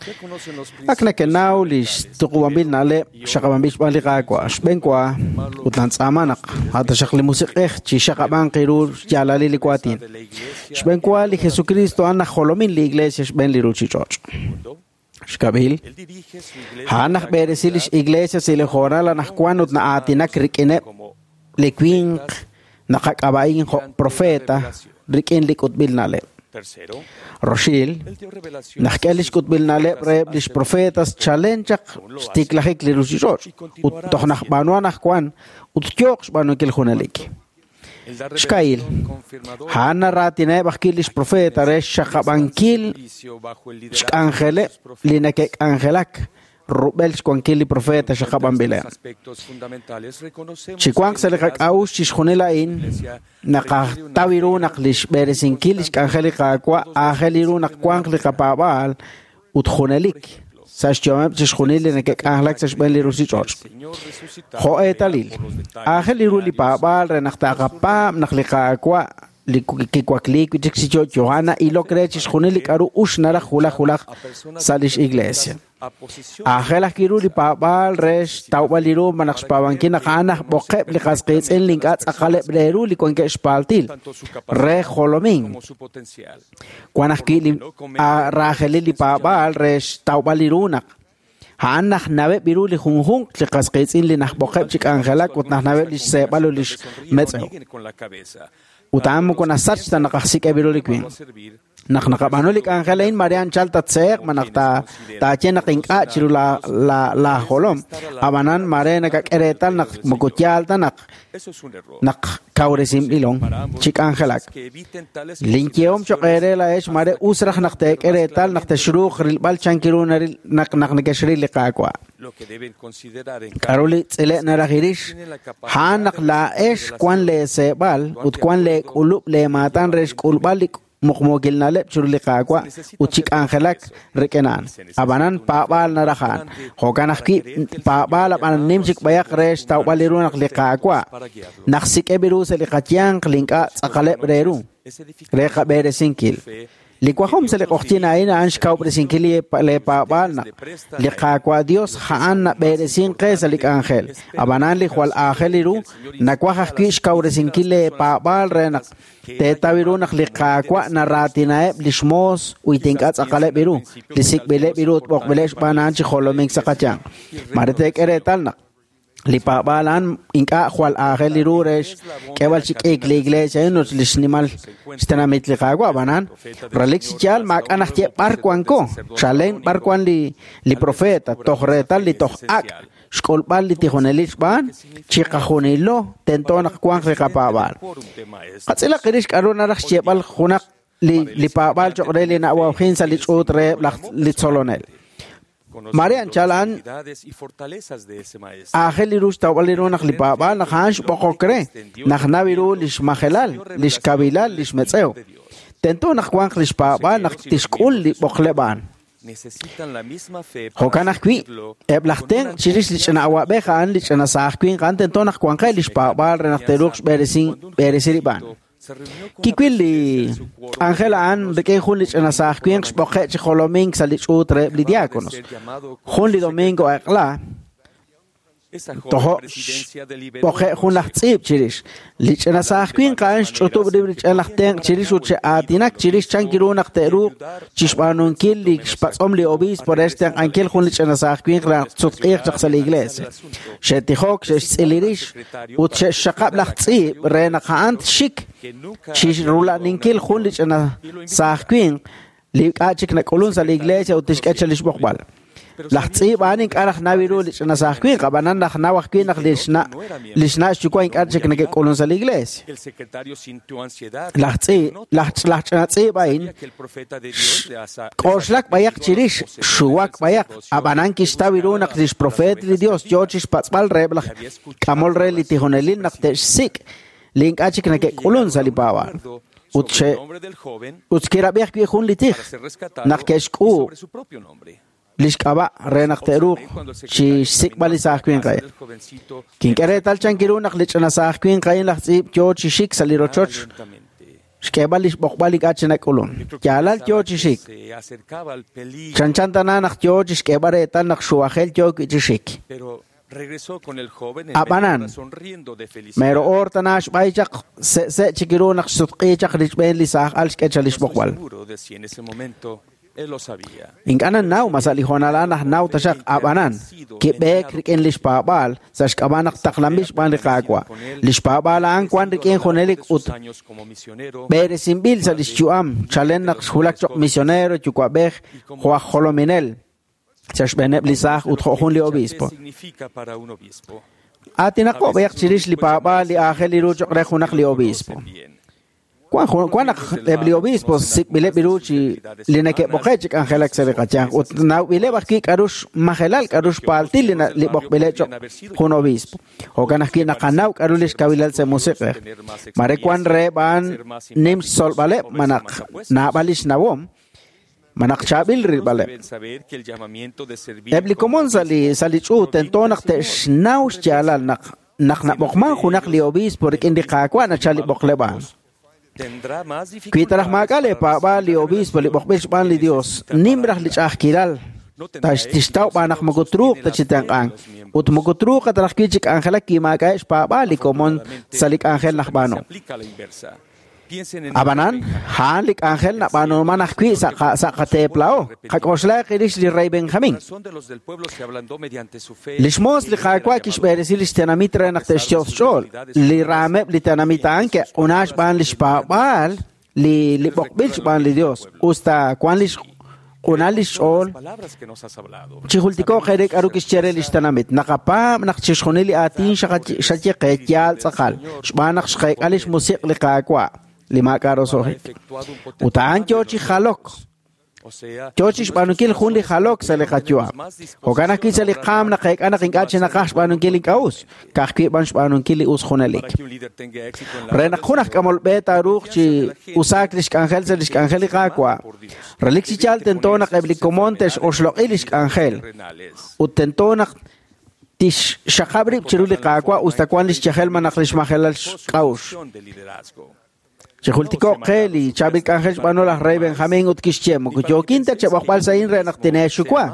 S10: ya conocen los
S2: Ak nakenaw lix tuqub'anb'il na'leb' xaqab'anb'il xb'aan li Qaawa' xb'een wa ut nantz'aama naq ataxaq li musiq'ej chi xaqab'an qiru xyaalalil li waatin.
S10: de la iglesia
S2: Xb'een wa li Jesucristo a'an najjolomin li iglesia xb'een li ruuchich'och'.
S10: mundo.
S2: Xkab'il
S10: Él dirige su iglesia
S2: a'an najb'eresi lix iglesia sa' li hoonal anajwan ut na'aatinak rik'ineb'
S10: como
S2: li winq naqak'ab'a'in jo' profeta rik'in li k'utb'il na'leb'.
S10: tercero.
S2: Roxil,
S10: Él dio revelación
S2: naq k'e lix k'utb'il na'leb' reheb' lix profetas chalen chaq xtiklajik li ruuchich'och' ut toj najb'aanu anajwan ut yooq xb'aanunkil junelik.
S10: Él da
S2: Xka'il,
S10: revelación confirmadora
S2: a'an naraatinaheb' ajwi' lix profeta re xxaqab'ankil
S10: servicio bajo el liderazgo de
S2: xk'anjeleb'
S10: sus profetas.
S2: li neke'k'anjelak rub'el xwankil li profeta xaqab'anb'ileb'.
S10: Aspectos fundamentales reconocemos
S2: Chi wanq sa' li qak'a'uxl chixjunil a'in, naqataw ru naq li xb'eresinkil li xk'anjel li Qaawa' aajel ru naq wanq li qapaab'aal ut junelik sa' xyu'ameb' chixjunil li neke'k'anjelak sa' xb'een li ruuchich'och'.
S10: Señor resucitado
S2: Jo' eetalil,
S10: por los detalles
S2: aajel ru li paab'aal re naq taaqapaab' naq li Qaawa' li kiwakliik wi' chik chi yo'yo a'an na'ilok re chixjunil li k'a'ru ux naraj wulaj wulaj
S10: a personas
S2: sa' lix iglesia.
S10: a posición
S2: Aajel ajwi' ru li paab'aal re xtawb'al li ru malaj xpaab'ankil naq a'an najb'oqeb' li qasqiitz'in li ink'a' tz'aqaleb' re ru li wankeb' xpaaltil
S10: tanto su
S2: re
S10: capacidad
S2: jolomink.
S10: como su potencial.
S2: Wan ajwi' li raajelil li paab'aal re xtawb'al li ru naq a'an najnaweb' ru li junjunq li qasqiitz'in li najb'oqeb' chi k'anjelak ut najnaweb' li xseeb'al ut li xmetz'ew.
S10: Nieguen con la cabeza.
S2: Ut a'an moko nasach ta naq ajsik'eb' ru li winq.
S10: A servir
S2: Naq naqab'aanu li k'anjel a'in mare anchal tatseeq malaj taaye naq ink'a' chiru laajolom. Ab'anan mare nakak'e reetal naq moko yaal ta naq
S10: Eso es un error.
S2: naq kawresinb'ilon chi k'anjelak.
S10: Que eviten tales
S2: Linyehom choq' eere laa'ex mare us raj naq teek'e reetal naq texruuq rilb'al chan kiru naril naq naq nekexril li Qaawa'.
S10: lo que deben considerar en
S2: K'aru li tz'ile' naraj irix a'an naq laa'ex wan leeseeb'al ut wan leek'ulub' leemaatan re xk'ulb'al li muqmuukil na'leb' chiru li Qaawa' ut chi k'anjelak rik'in a'an. Ab'anan paab'aal naraj a'an. Jo'kan ajwi' paab'aal ab'an nim chik b'ayaq re xtawb'al li ru naq li Qaawa' naq sik'eb' ru sa' li qayanq li ink'a' tz'aqaleb' re ru re qab'eresinkil. Li wajom sa' li q'oqyink a'in a'an xkawub'resinkil li paab'aal naq li Qaawa' Dios a'an nab'eresink qe sa' li k'anjel. Ab'anan li jwal aajel li ru nawaj ajwi' xkawresinkil li paab'aal re naq teetaw ru naq li Qaawa' naraatinaheb' li xmoos ut ink'a' tz'aqaleb' ru, li sik'b'ileb' ru ut b'oqb'ileb' xb'aan a'an chi jolomink sa' qayanq. Mare teek'e reetal naq li paab'aal a'an ink'a' jwal aajel li ru re xk'eeb'al chi k'iik li iglesia a'in ut li xnimal xtenamit li Qaawa'. Ab'anan relik chi yaal maak'a' najye b'ar wanko, chalen b'ar wan li profeta toj reetal li toj ak' xk'ulb'al li tijonelil xb'aan chiqajunilo tento naq wanq li qapaab'aal. Qatz'ilaq rix k'aru naraj xyeeb'al junaq li paab'aal cho'q re li na'wawjin sa' li ch'uut reheb' li tzolonel. Mare anchal a'an aajel li ru xtawb'al li ru naq li paab'aal naq a'an xb'oqok re, naq nawi ru li xmajelal, li xkabilal, li xmetz'ew. Tento naq wanq li xpaab'aal naq tixk'ul li b'oqleb' a'an. Jo'kan ajwi' eb' laj tenq' chirix li ch'ina awa'b'ej a'an li ch'ina saaj winq a'an tento naq wanqeb' li xpaab'aal re naq te'ruuq xb'eresi rib' a'an. Kiwil li k'anjel a'an rik'in jun li ch'ina saaj winq xb'oqe' chi jolomink sa' li ch'uut reheb' li diáconos. Jun li domingo eq'la tojo' xb'oqe' jun laj tz'iib' chirix. Li ch'ina saaj winq a'an xch'utub' rib' li ch'ina laj tenq' chirix ut xe'aatinak chirix chan ru naq te'ruuq chixb'aanunkil li xpatz'om li obispo re xtenq'ankil jun li ch'ina saaj winq re naq tsutq'iiq chaq sa' li iglesia. Xe'tijok, xe'xtz'il rix ut xe'xxaqab' laj tz'iib' re naq a'an txik chixrula'ninkil jun li ch'ina saaj winq li k'a' chik nak'ulun sa' li iglesia ut tixk'e chal li xb'oqb'al. Laj tz'iib' a'an ink'a' raj nawi ru li ch'ina saaj winq, ab'anan raj naw ajwi' naq li xna' xyuwa' ink'a' chik neke'k'ulun sa' li iglesia. Laj ch'ina tz'iib' a'in k'oxlak b'ayaq chirix, xuwak b'ayaq, ab'anan kixtaw ru naq li xprofeet li Dios yoo chixpatz'b'al reheb' laj k'amol re li tijonelil naq te'xsik' li ink'a' chik neke'k'ulun sa' li paab'aal. Ut kirab'i ajwi' jun li tij naq ke'xk'uub' li xk'ab'a' re naq te'ruuq chi xsik'b'al li saaj winq a'in. Kink'e reetal chan ru naq li ch'ina saaj winq a'in laj tz'iib' yoo chi xik sa' li rochoch xk'eeb'al li xb'oqb'al ink'a' chi nak'ulun. Yaalal yoo chi xik. Chanchan tana naq yoo chi xk'eeb'al reetal naq xuwajel yoo wi' chi xik. Ab'anan mero oor tana xb'ay chaq se'se' chik ru naq xsutq'i chaq richb'een li saaj al xk'e chal li xb'oqb'al. Ink'a' nanaw ma sa' li hoonal a'an naj naw taxaq ab'anan kib'eek rik'in li xpaab'aal sa' xk'ab'a' naq taqlanb'il xb'aan li Qaawa'. Li xpaab'aal a'an wan rik'in junelik ut b'eresinb'il sa' li xyu'am chalen naq xwulak cho'q misionero yuwa'b'ej jo' aj jolominel sa' xb'eeneb' li saaj ut jo' jun li obispo. Aatinaqo b'ayaq chirix li paab'aal li aajel li ru cho'q re junaq li obispo. Wan naq eb' li obispo sik'b'ileb' ru chi li neke'b'oqe' chi k'anjelak sa' li qayanq ut nawb'ileb' ajwi' k'aru xmajelal k'aru xpaaltil li b'oqb'ileb' cho'q jun obispo. Jo'kan ajwi' naqanaw k'aru li xkawilal sa' musiq'ej. Mare wan reheb' a'an nim xtzolb'aleb' ma naq naab'al li xnawom ma naq chaab'il rilb'aleb'. Eb' li komon sa' li ch'uut tento naq te'xnaw xyaalal naq nab'oqman junaq li obispo rik'in li Qaawa' nachal li b'oqleb' a'an. Wi taraj maak'a' li paab'aal li obispo li b'oqb'il xb'aan li Dios, nim raj li ch'a'ajkilal tixtaw b'aan naq moko truuq ta chi tenq'ank ut moko truuq ta raj wi' chi k'anjelak wi maak'a'eb' xpaab'aal li komon sa' li k'anjel naj b'aanu. Ab'anan, a'an li k'anjel nab'aanuman ajwi' sa' qateeplao. Qak'oxlaq rix li rey Benjamín. Li xmoos li Qaawa' kixb'eresi li xtenamit re naq te'xyos xch'ool. Li raameb' li tenamit a'an ke'q'una xb'aan li xpaab'aal li b'oqb'il xb'aan li Dios. Usta wan li q'unal li xch'ool chijultiko'q re k'aru kixye re li xtenamit. Naqapaab' naq chixjunil li aatin xaye qe yaal tz'aqal xb'aan naq xqeek'a li xmusiq' li Qaawa' li maak'a' roso'jik. Ut a'an yoo chi jalok. Yo chi xb'aanunkil jun li jalok sa' li qayu'am. Jo'kan ajwi' sa' li qaam naqeek'a naq ink'a' chi naqaj xb'aanunkil ink'a' us, ka'ajwi' b'an xb'aanunkil li us junelik. Re naq jun aj k'amol b'e taaruuq chi usaak lix k'anjel sa' lix k'anjel li Qaawa', relik chi yaal tento naq eb' li komon te'xoxloq'i lix k'anjel ut tento naq tixxaqab' rib' chiru li Qaawa' us ta wan lix yajel malaj lix majelal xk'a'uxl. Chijultiko'q qe li chaab'il k'anjel xb'aanu laj rey Benjamín ut kixye, moko yookin ta cheb'oqb'al sa' a'in re naq tineexuwa,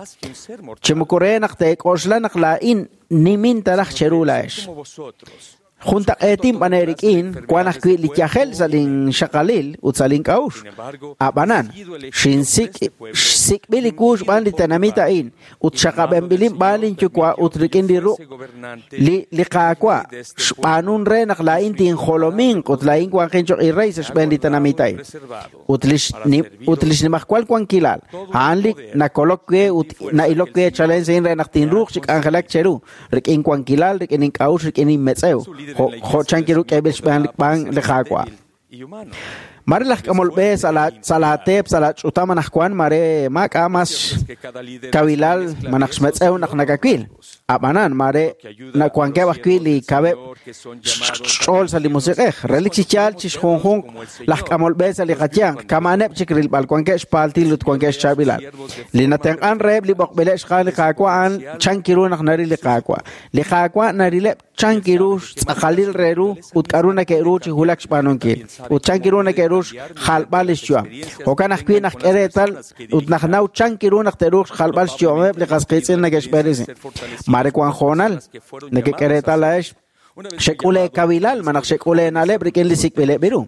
S2: chi moko re naq teek'oxla naq laa'in nimin ta raj cheru laa'ex. Juntaq'eetin b'an eerik'in wan ajwi' li yajel sa' linxaqalil ut sa' link'a'uxl. Ab'anan, xinsik' xsik'b'il li wu xb'aan li tenamit a'in ut xaqab'enb'ilin b'aan linyuwa' ut rik'in li ruq' li li Qaawa' xb'aanun re naq laa'in tinjolominq ut laa'in wanqin cho'q irey sa' xb'een li tenamit a'in. Ut lix ut lix nimajwal wankilal a'an li nakolok we ut na'ilok we chalen sa' re naq tinruuq chi k'anjelak cheru rik'in wankilal, rik'in ink'a'uxl, rik'in inmetz'ew, jo' jo' chan kiru k'eeb'il xb'aan b'aan li Qaawa'. Mare laj k'amol b'e sa' la sa' laateep sa' laach'utam anaqwan mare maak'a' mas kawilal malaj xmetz'ew naq nakawil. Ab'anan mare nawankeb' ajwi' li kaweb' xch'ool sa' li musiq'ej. Relik chi yaal chi xjunjunq laj k'amol b'e sa' li qayanq kama'aneb' chik rilb'al wankeb' xpaaltil ut wankeb' xchaab'ilal. Li natenq'an reheb' li b'oqb'ileb' xqaal li Qaawa' a'an chan kiru naq naril li Qaawa'. Li Qaawa' narileb' chan kiru xtz'aqalil re ru ut k'a'ru nake'ru chi wulak xb'aanunkil ut chan kiru nake'ru xjalb'al lix yu'am. Jo'kan ajwi' naq k'e reetal ut naq naw chan kiru naq te'ruuq xjalb'al xyu'ameb' li qas qiitz'in neke'xb'eresi. Mare wan hoonal nekek'e reetal laa'ex xek'ul eekawilal malaj xek'ul eena'leb' rik'in li sik'b'ileb' ru.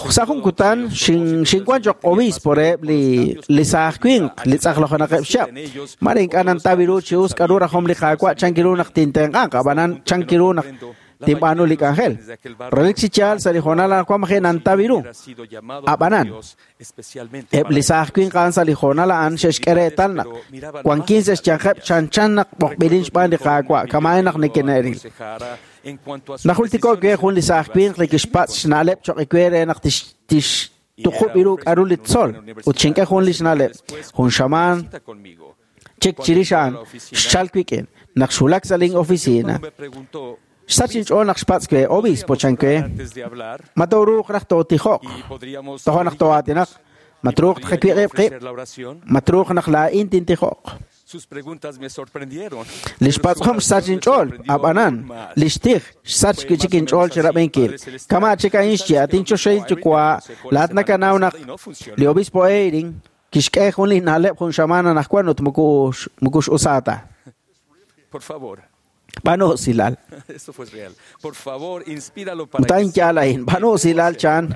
S2: Sa' jun kutan xinwan cho'q obispo reheb' li li saaj winq li tz'aqlojenaqeb' xchab'. Mare ink'a' nantaw ru chi us k'a'ru rajom li Qaawa' chan kiru naq tintenq'anq, ab'anan chan kiru naq tinb'aanu li k'anjel. Relik chi yaal sa' li hoonal anaqwan maji' nantaw ru. Ab'anan, eb' li saaj winq a'an sa' li hoonal a'an xe'xk'e reetal naq wankin sa' xyanqeb' chanchan naq b'oqb'ilin xb'aan li Qaawa' kama'in naq neke'ril. Najultiko'k we jun li saaj winq li kixpatz' xna'leb' cho'q we re naq tixtuqub' ru k'a'ru li tzol ut xink'e jun li xna'leb'. Jun xamaan chik chirix a'an xchalk wik'in naq xwulak sa' lin oficina. Xsach inch'ool naq xpatz' we, obispo chan we, ma tooruuq raj tootijoq, toja' naq too'aatinaq, ma truuq tqawiq'ib' qib', ma truuq naq laa'in tintijoq. Lix patz'om xsach inch'ool, ab'anan, lix tij xsach wi' chik inch'ool chi rab'inkil. Kama' chik a'in xye, at inchoxahil yuwa', laa'at nakanaw naq li obispo Eyring kixk'e jun li na'leb' jun xamaan anaqwan ut moko x'usaa ta.
S10: Por favor.
S2: B'aanu usilal.
S10: Esto fue real. Por favor, inspíralo para
S2: Ut a'in yaal a'in. B'aanu usilal chan.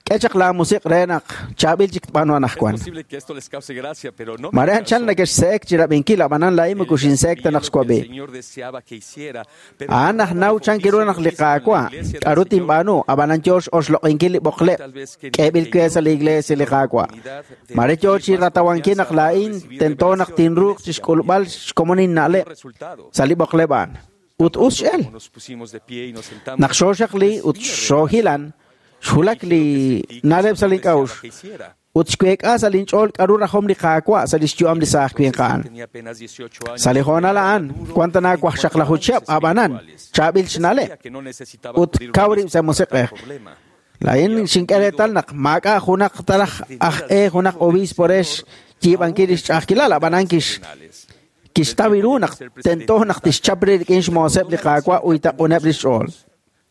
S2: K'e chaq laamusiq re naq chaab'il chik tb'aanu anaqwan.
S10: Es posible que esto les cause gracia, pero no me
S2: Mare anchal neke'xse'ek chi rab'inkil, ab'anan laa'in moko xinse'ek ta naq xwab'i.
S10: Señor deseaba que hiciera, pero
S2: A'an naj naw chan kiru naq li Qaawa' k'a'ru tinb'aanu, ab'anan yoo x'oxloq'inkil li b'oqleb' k'eeb'il we sa' li iglesia li Qaawa'. Mare yoo chi ratawankil naq laa'in tento naq tinruuq chi xk'ulb'al xkomon inna'leb' sa' li b'oqleb' a'an. Ut us x'el.
S10: nos pusimos de pie y nos sentamos.
S2: Naq xooxaqli ut xoohilan, xwulak li na'leb' sa' link'a'uxl ut xweek'a sa' linch'ool k'a'ru rajom li Qaawa' sa' lix yu'am li saaj winq a'an.
S10: Tenía apenas 18 años.
S2: Sa' li hoonal a'an, wan tana waqxaqlaju chihab' ab'anan, chaab'il xna'leb'
S10: que no necesitaba
S2: ut kaw rib' sa' musiq'ej.
S10: problema.
S2: Laa'in xink'e reetal naq maak'a' junaq taraj aj e junaq obispo re xyiib'ankil lix ch'a'ajkilal, ab'anan kixtaw ru naq tento naq tixchap rib' rik'in xmooseb' li Qaawa' uytaq'uneb' lix ch'ool.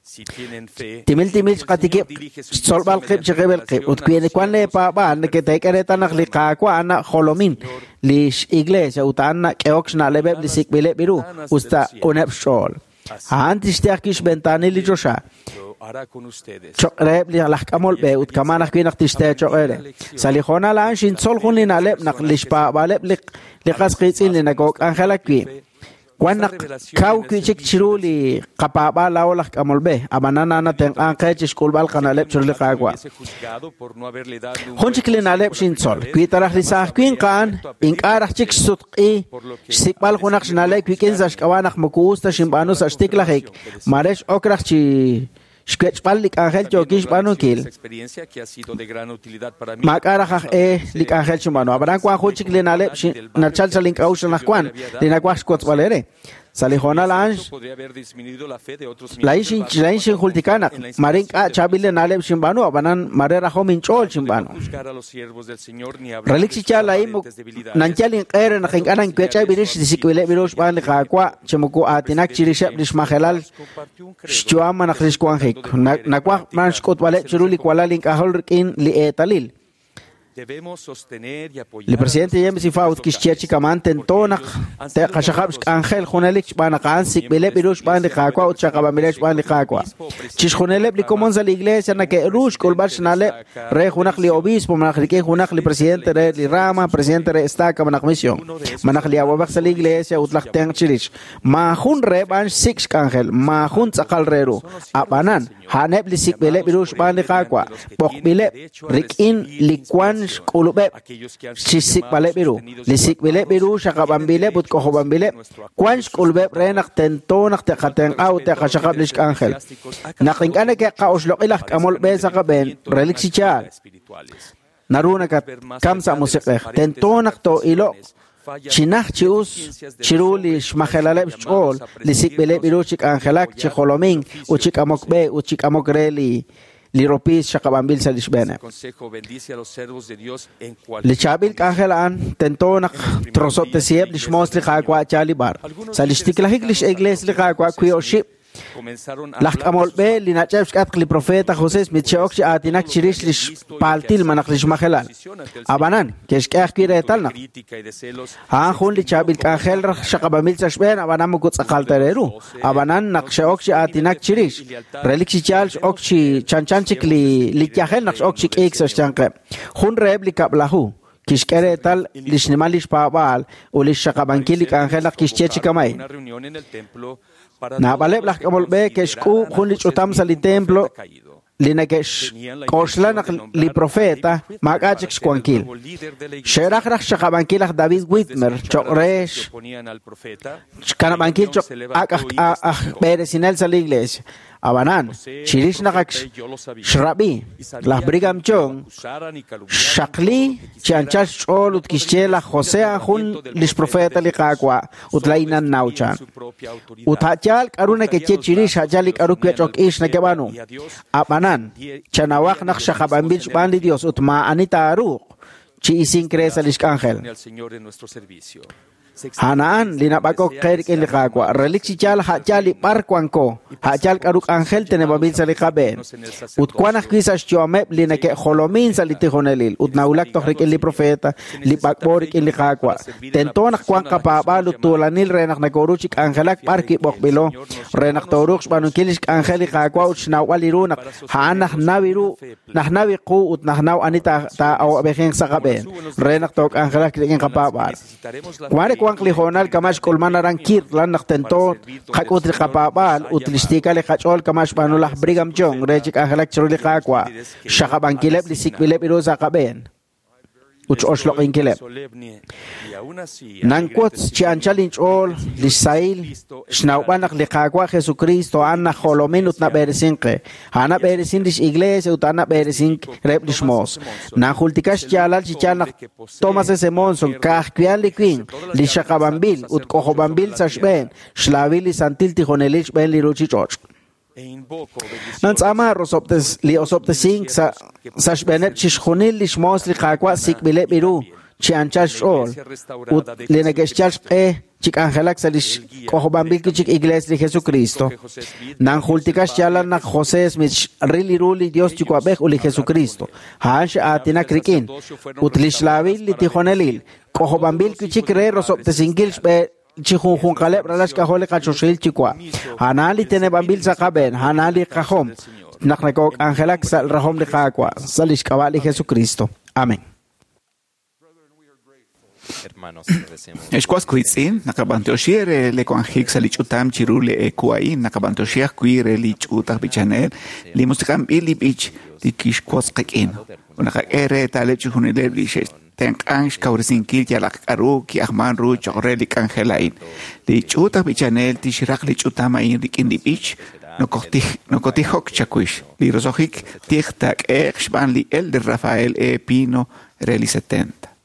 S10: Si tienen fe,
S2: Timil timil xqatikib' xtzolb'al qib' chi qib'il qib' ut wi wan leepaab'aal neke'teek'e reetal naq li Qaawa' a'an jolomin lix iglesia ut a'an nak'ehok xna'leb'eb' li sik'b'ileb' ru us ta q'uneb' xch'ool. A'an tixte ajwi' xventaanil li choxa
S10: lo hará con ustedes.
S2: cho'q reheb' li laj k'amol b'e ut kama'an ajwi' naq tixte cho'q eere. Sa' li hoonal a'an xintzol jun li na'leb' naq lix paab'aaleb' li qas qiitz'in li nakook'anjelak wi'. Wan naq kaw wi' chik chiru li qapaab'aal laa'o laj k'amol b'e, ab'anan a'an natenq'an qe chi xk'ulb'al qana'leb' chiru li Qaawa'.
S10: Hubiese juzgado por no haberle dado un
S2: Jun chik li na'leb' xintzol, wi taraj li saaj winq a'an, ink'a' raj chik xsutq'i xsik'b'al junaq xna'leb' wik'in sa' xk'ab'a' naq moko us ta xinb'aanu sa' xtiklajik, mare x'ok raj chi xwech'b'al li k'anjel yookin xb'aanunkil, maak'a' raj aj e li k'anjel xinb'aanu. Ab'anan wank jun chik li na'leb' nachal sa' link'a'uxl anaqwan li nawaj xwotzb'al eere. Sa' li hoonal a'an laa'in xinjultika naq mare ink'a' chaab'il li na'leb' xinb'aanu, ab'anan mare rajom inch'ool xinb'aanu. Relik chi yaal laa'in nanyal inq'e re naq ink'a' nanwech'eb' rix li sik'b'ileb' ru xb'aan li Qaawa' chi moko aatinak chirixeb' li xmajelal xyu'am malaj li xwanjik. Nawaj b'an xk'utb'aleb' chiru li walal ink'ajol rik'in li eetalil. Li presidente James E. Faust kixye chi kaman tento naq te'qaxaqab' xk'anjel junelik xb'aan naq a'an sik'b'ileb' ru xb'aan li Qaawa' ut xaqab'anb'ileb' xb'aan li Qaawa'. Chixjunileb' li komon sa' li iglesia neke'ru xk'ulb'al xna'leb' re junaq li obispo malaj rik'in junaq li presidente re li rama, presidente re estaca malaj misión, malaj li awab'ej sa' li iglesia ut laj tenq' chirix. Maajun reheb' a'an xsik' xk'anjel, maajun tz'aqal re ru. Ab'anan, a'aneb' li sik'b'ileb' ru xb'aan li Qaawa', b'oqb'ileb' rik'in li wan xk'ulub'eb' chi xsik'b'aleb' ru. Li sik'b'ileb' ru xaqab'anb'ileb' ut k'ojob'anb'ileb' wan xk'ulub'eb' re naq tento naq te'qatenq'a ut te'qaxaqab' li xk'anjel. Naq ink'a' neke'qa'oxloq'i laj k'amol b'e sa' qab'een, relik chi yaal, naru nakatkam sa' musiq'ej. Tento naq too'iloq chinaj chi us chiru li xmajelaleb' xch'ool li sik'b'ileb' ru chi k'anjelak, chi jolomink ut chi k'amok b'e ut chi k'amok re li ropiis xaqab'anb'il sa' li xb'eeneb'. Li chaab'il k'anjel a'an tento naq trosob'tesiheb' li xmoos li Qaawa' yaal li b'ar. Sa' li xtiklajik li x'iglees li Qaawa' wi oxib' laj k'amol b'e li nach'eb' xk'atq li profeta José Smith xe'ok chi aatinak chirix li xpaltil malaj li xmajelal. Ab'anan, ke'xk'e ajwi' reetal naq a'an jun li chaab'il k'anjel raj xaqab'anb'il sa' xb'een, ab'anan moko tz'aqal ta re ru. Ab'anan naq xe'ok chi aatinak chirix, relik chi yaal x'ok chi chanchan chik li yajel naq x'ok chi k'iik sa' xyanqeb'. Jun reheb' li kab'laju kixk'e reetal li xnimal li xpaab'aal ut li xxaqab'ankil li k'anjel naq kixye chi kama'in. Naab'aleb' laj k'amol b'e ke'xk'uub' jun li ch'utam sa' li templo li neke'xk'oxla naq li profeta maak'a' chik xwankil. Xe'raj raj xxaqab'ankil laj David Whitmer cho'q re xkanab'ankil cho'q ak' aj b'eresinel sa' li iglesia. Ab'anan, chirix naq ak xrab'i laj Brigham Young xxaqli chi anchal xch'ool ut kixye laj José a'an jun li xprofeta li Qaawa' ut laa'in nannaw chan. Ut a' yaal k'aru nekeye chirix, a' yaal li k'aru wech'ok ix nekeb'aanu. Ab'anan, chanawaq naq xaqab'anb'il xb'aan li Dios ut maa'ani taaruuq chi isink re sa' li xk'anjel. A'an li nab'ak'ok qe rik'in li Qaawa'. Relik chi yaal a' yaal li b'ar wanko, a' yaal k'aru k'anjel teneb'anb'il sa' li qab'een. Ut wan ajwi' sa' xyu'ameb' li neke'jolomin sa' li tijonelil ut nawulak toj rik'in li profeta, li b'ak'b'o rik'in li Qaawa'. Tento naq wanq qapaab'aal ut tuulanil re naq nakoru chi k'anjelak b'ar wi' b'oqb'ilo, re naq tooruuq xb'aanunkil li xk'anjel li Qaawa' ut xnawb'al li ru naq a'an najnaw ru, najnaw qu ut najnaw ani taa'awab'ejinq sa' qab'een, re naq took'anjelak rik'in qapaab'aal. Mare wanq li hoonal kama' xk'ulman aran Kirtland naq tento qak'ut li qapaab'aal ut li xtiikal li qach'ool kama' xb'aanu laj Brigham Young re chi k'anjelak chiru li Qaawa', xxaqab'ankileb' li sik'b'ileb' ru sa' qab'een ut x'oxloq'inkileb'. Nanwotz chi anchal inch'ool li xsahil xnawb'al naq li Qaawa' Jesucristo a'an najolomin ut nab'eresin qe. A'an nab'eresin lix iglesia ut a'an nab'eresin reheb' lix moos. Nanjultika xyaalal chi yaal naq Thomas S. Monson ka'ajwi'an li winq li xaqab'anb'il ut k'ojob'anb'il sa' xb'een xlaawil li santil tijonelil xb'een li ruuchich'och'. Nantz'aama li osob'tesink sa' xb'eeneb' chixjunil li xmoos li Qaawa' sik'b'ileb' ru chi anchal xch'ool ut li neke'xyal xq'e chi k'anjelak sa' li xk'ojob'anb'il chik iglees li Jesucristo. Nanjultika xyaalal naq José Smith xril li ru li Dios Yuwa'b'ej ut li Jesucristo. A'an x'aatinak rik'in ut li xlaawil li tijonelil k'ojob'anb'il chik re rosob'tesinkil xb'e chi junjunqaleb' ralal xk'ajol li qachoxil Yuwa'. A'an li teneb'anb'il sa' qab'een, a'an li qajom naq nakok'anjelak sa' rajom li Qaawa' sa' li xk'ab'a' li Jesucristo. Amén.
S4: Ex was wiitz'in, naqab'antoxi re le wanjik sa' li ch'utam chiru le eku a'in, naqab'antoxi ajwi' re li ch'uut aj b'ichanel, li musiq'anb'il li b'ich li kixwotz qik'in. Ut naqak'e reetaleb' chixjunileb' li tenq'ank xkawresinkil yalaq k'a'ru ki'ajman ru cho'q re li k'anjel a'in. Li ch'uut aj b'ichanel tixraq li ch'utam a'in rik'in li b'ich nokotijok chawix. Li roso'jik tij taak'ehe'q xb'aan li Elder Rafael E. Pino re li 70.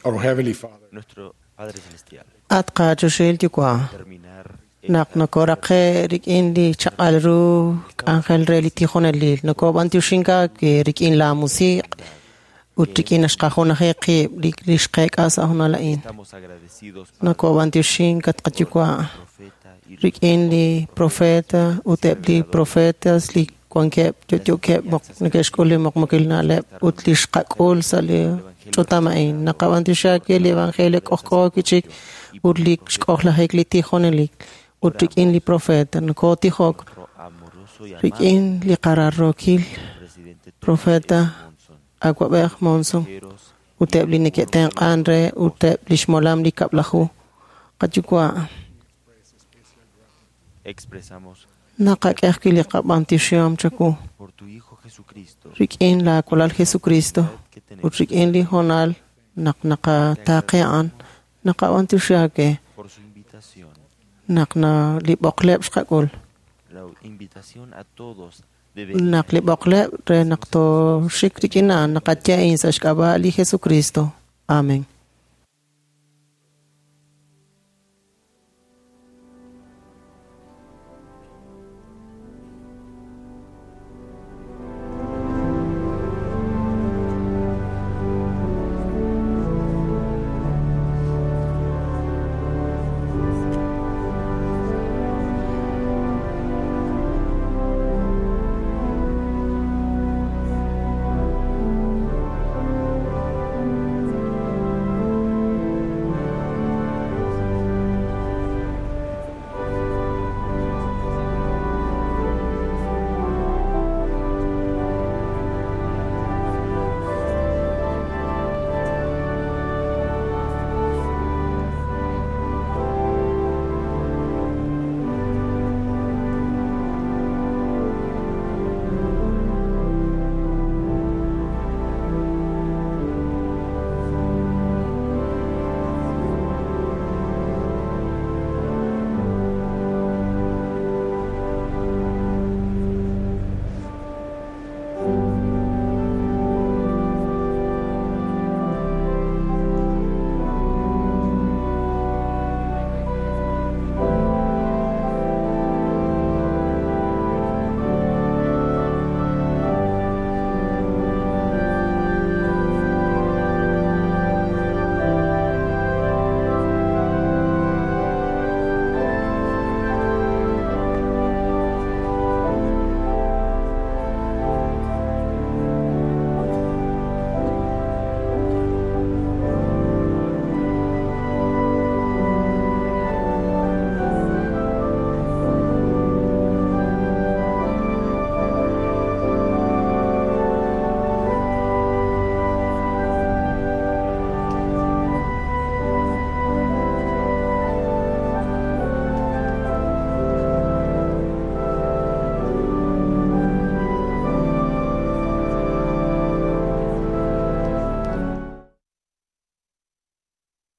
S11: Our Heavenly Father.
S7: Nuestro Padre Celestial.
S9: At qachoxil yuwa' naq nokoraqe' rik'in li chaq'al ru k'anjel re li tijonelil nokob'antioxink aawe rik'in la musiq' ut rik'in naxqajunaji qib' li xqeek'a sa' honal a'in.
S7: Estamos agradecidos Padre,
S9: Nokob'antioxink at qayuwa'
S7: profeta y los
S9: rik'in li profeta ut eb' li profetas li wankeb' yo'yookeb' neke'xk'ul li muqmukil na'leb' ut li xqak'ul sa' li ch'utam a'in. Naqab'antioxi aawe li evangelio k'ojk'o wi'chik ut li xk'ojlajik li tijonelik ut rik'in li profeta. Nokotijok
S7: nuestro amoroso y amado
S9: rik'in li qararrookil
S7: presidente Thomas
S9: profeta
S7: S. Monson,
S9: Awab'ej Monson
S7: consejeros
S9: ut eb' li neke'tenq'an re ut eb' li xmolam li kab'laju. Qayuwa'
S7: expresamos
S9: naqak'e ajwi' li qab'antioxihom chawu
S7: por tu Hijo Jesucristo
S9: rik'in la walal Jesucristo
S7: que
S9: ut
S7: tenemos
S9: rik'in li honal naq naqataaqe a'an naqab'antioxi aawe
S7: por su invitación,
S9: naq na li b'oqleb' xqak'ul
S7: la invitación a todos de venir
S9: naq li b'oqleb' re naq tooxik rik'in a'an naqaye a'in sa' xk'ab'a' li Jesucristo. Amén.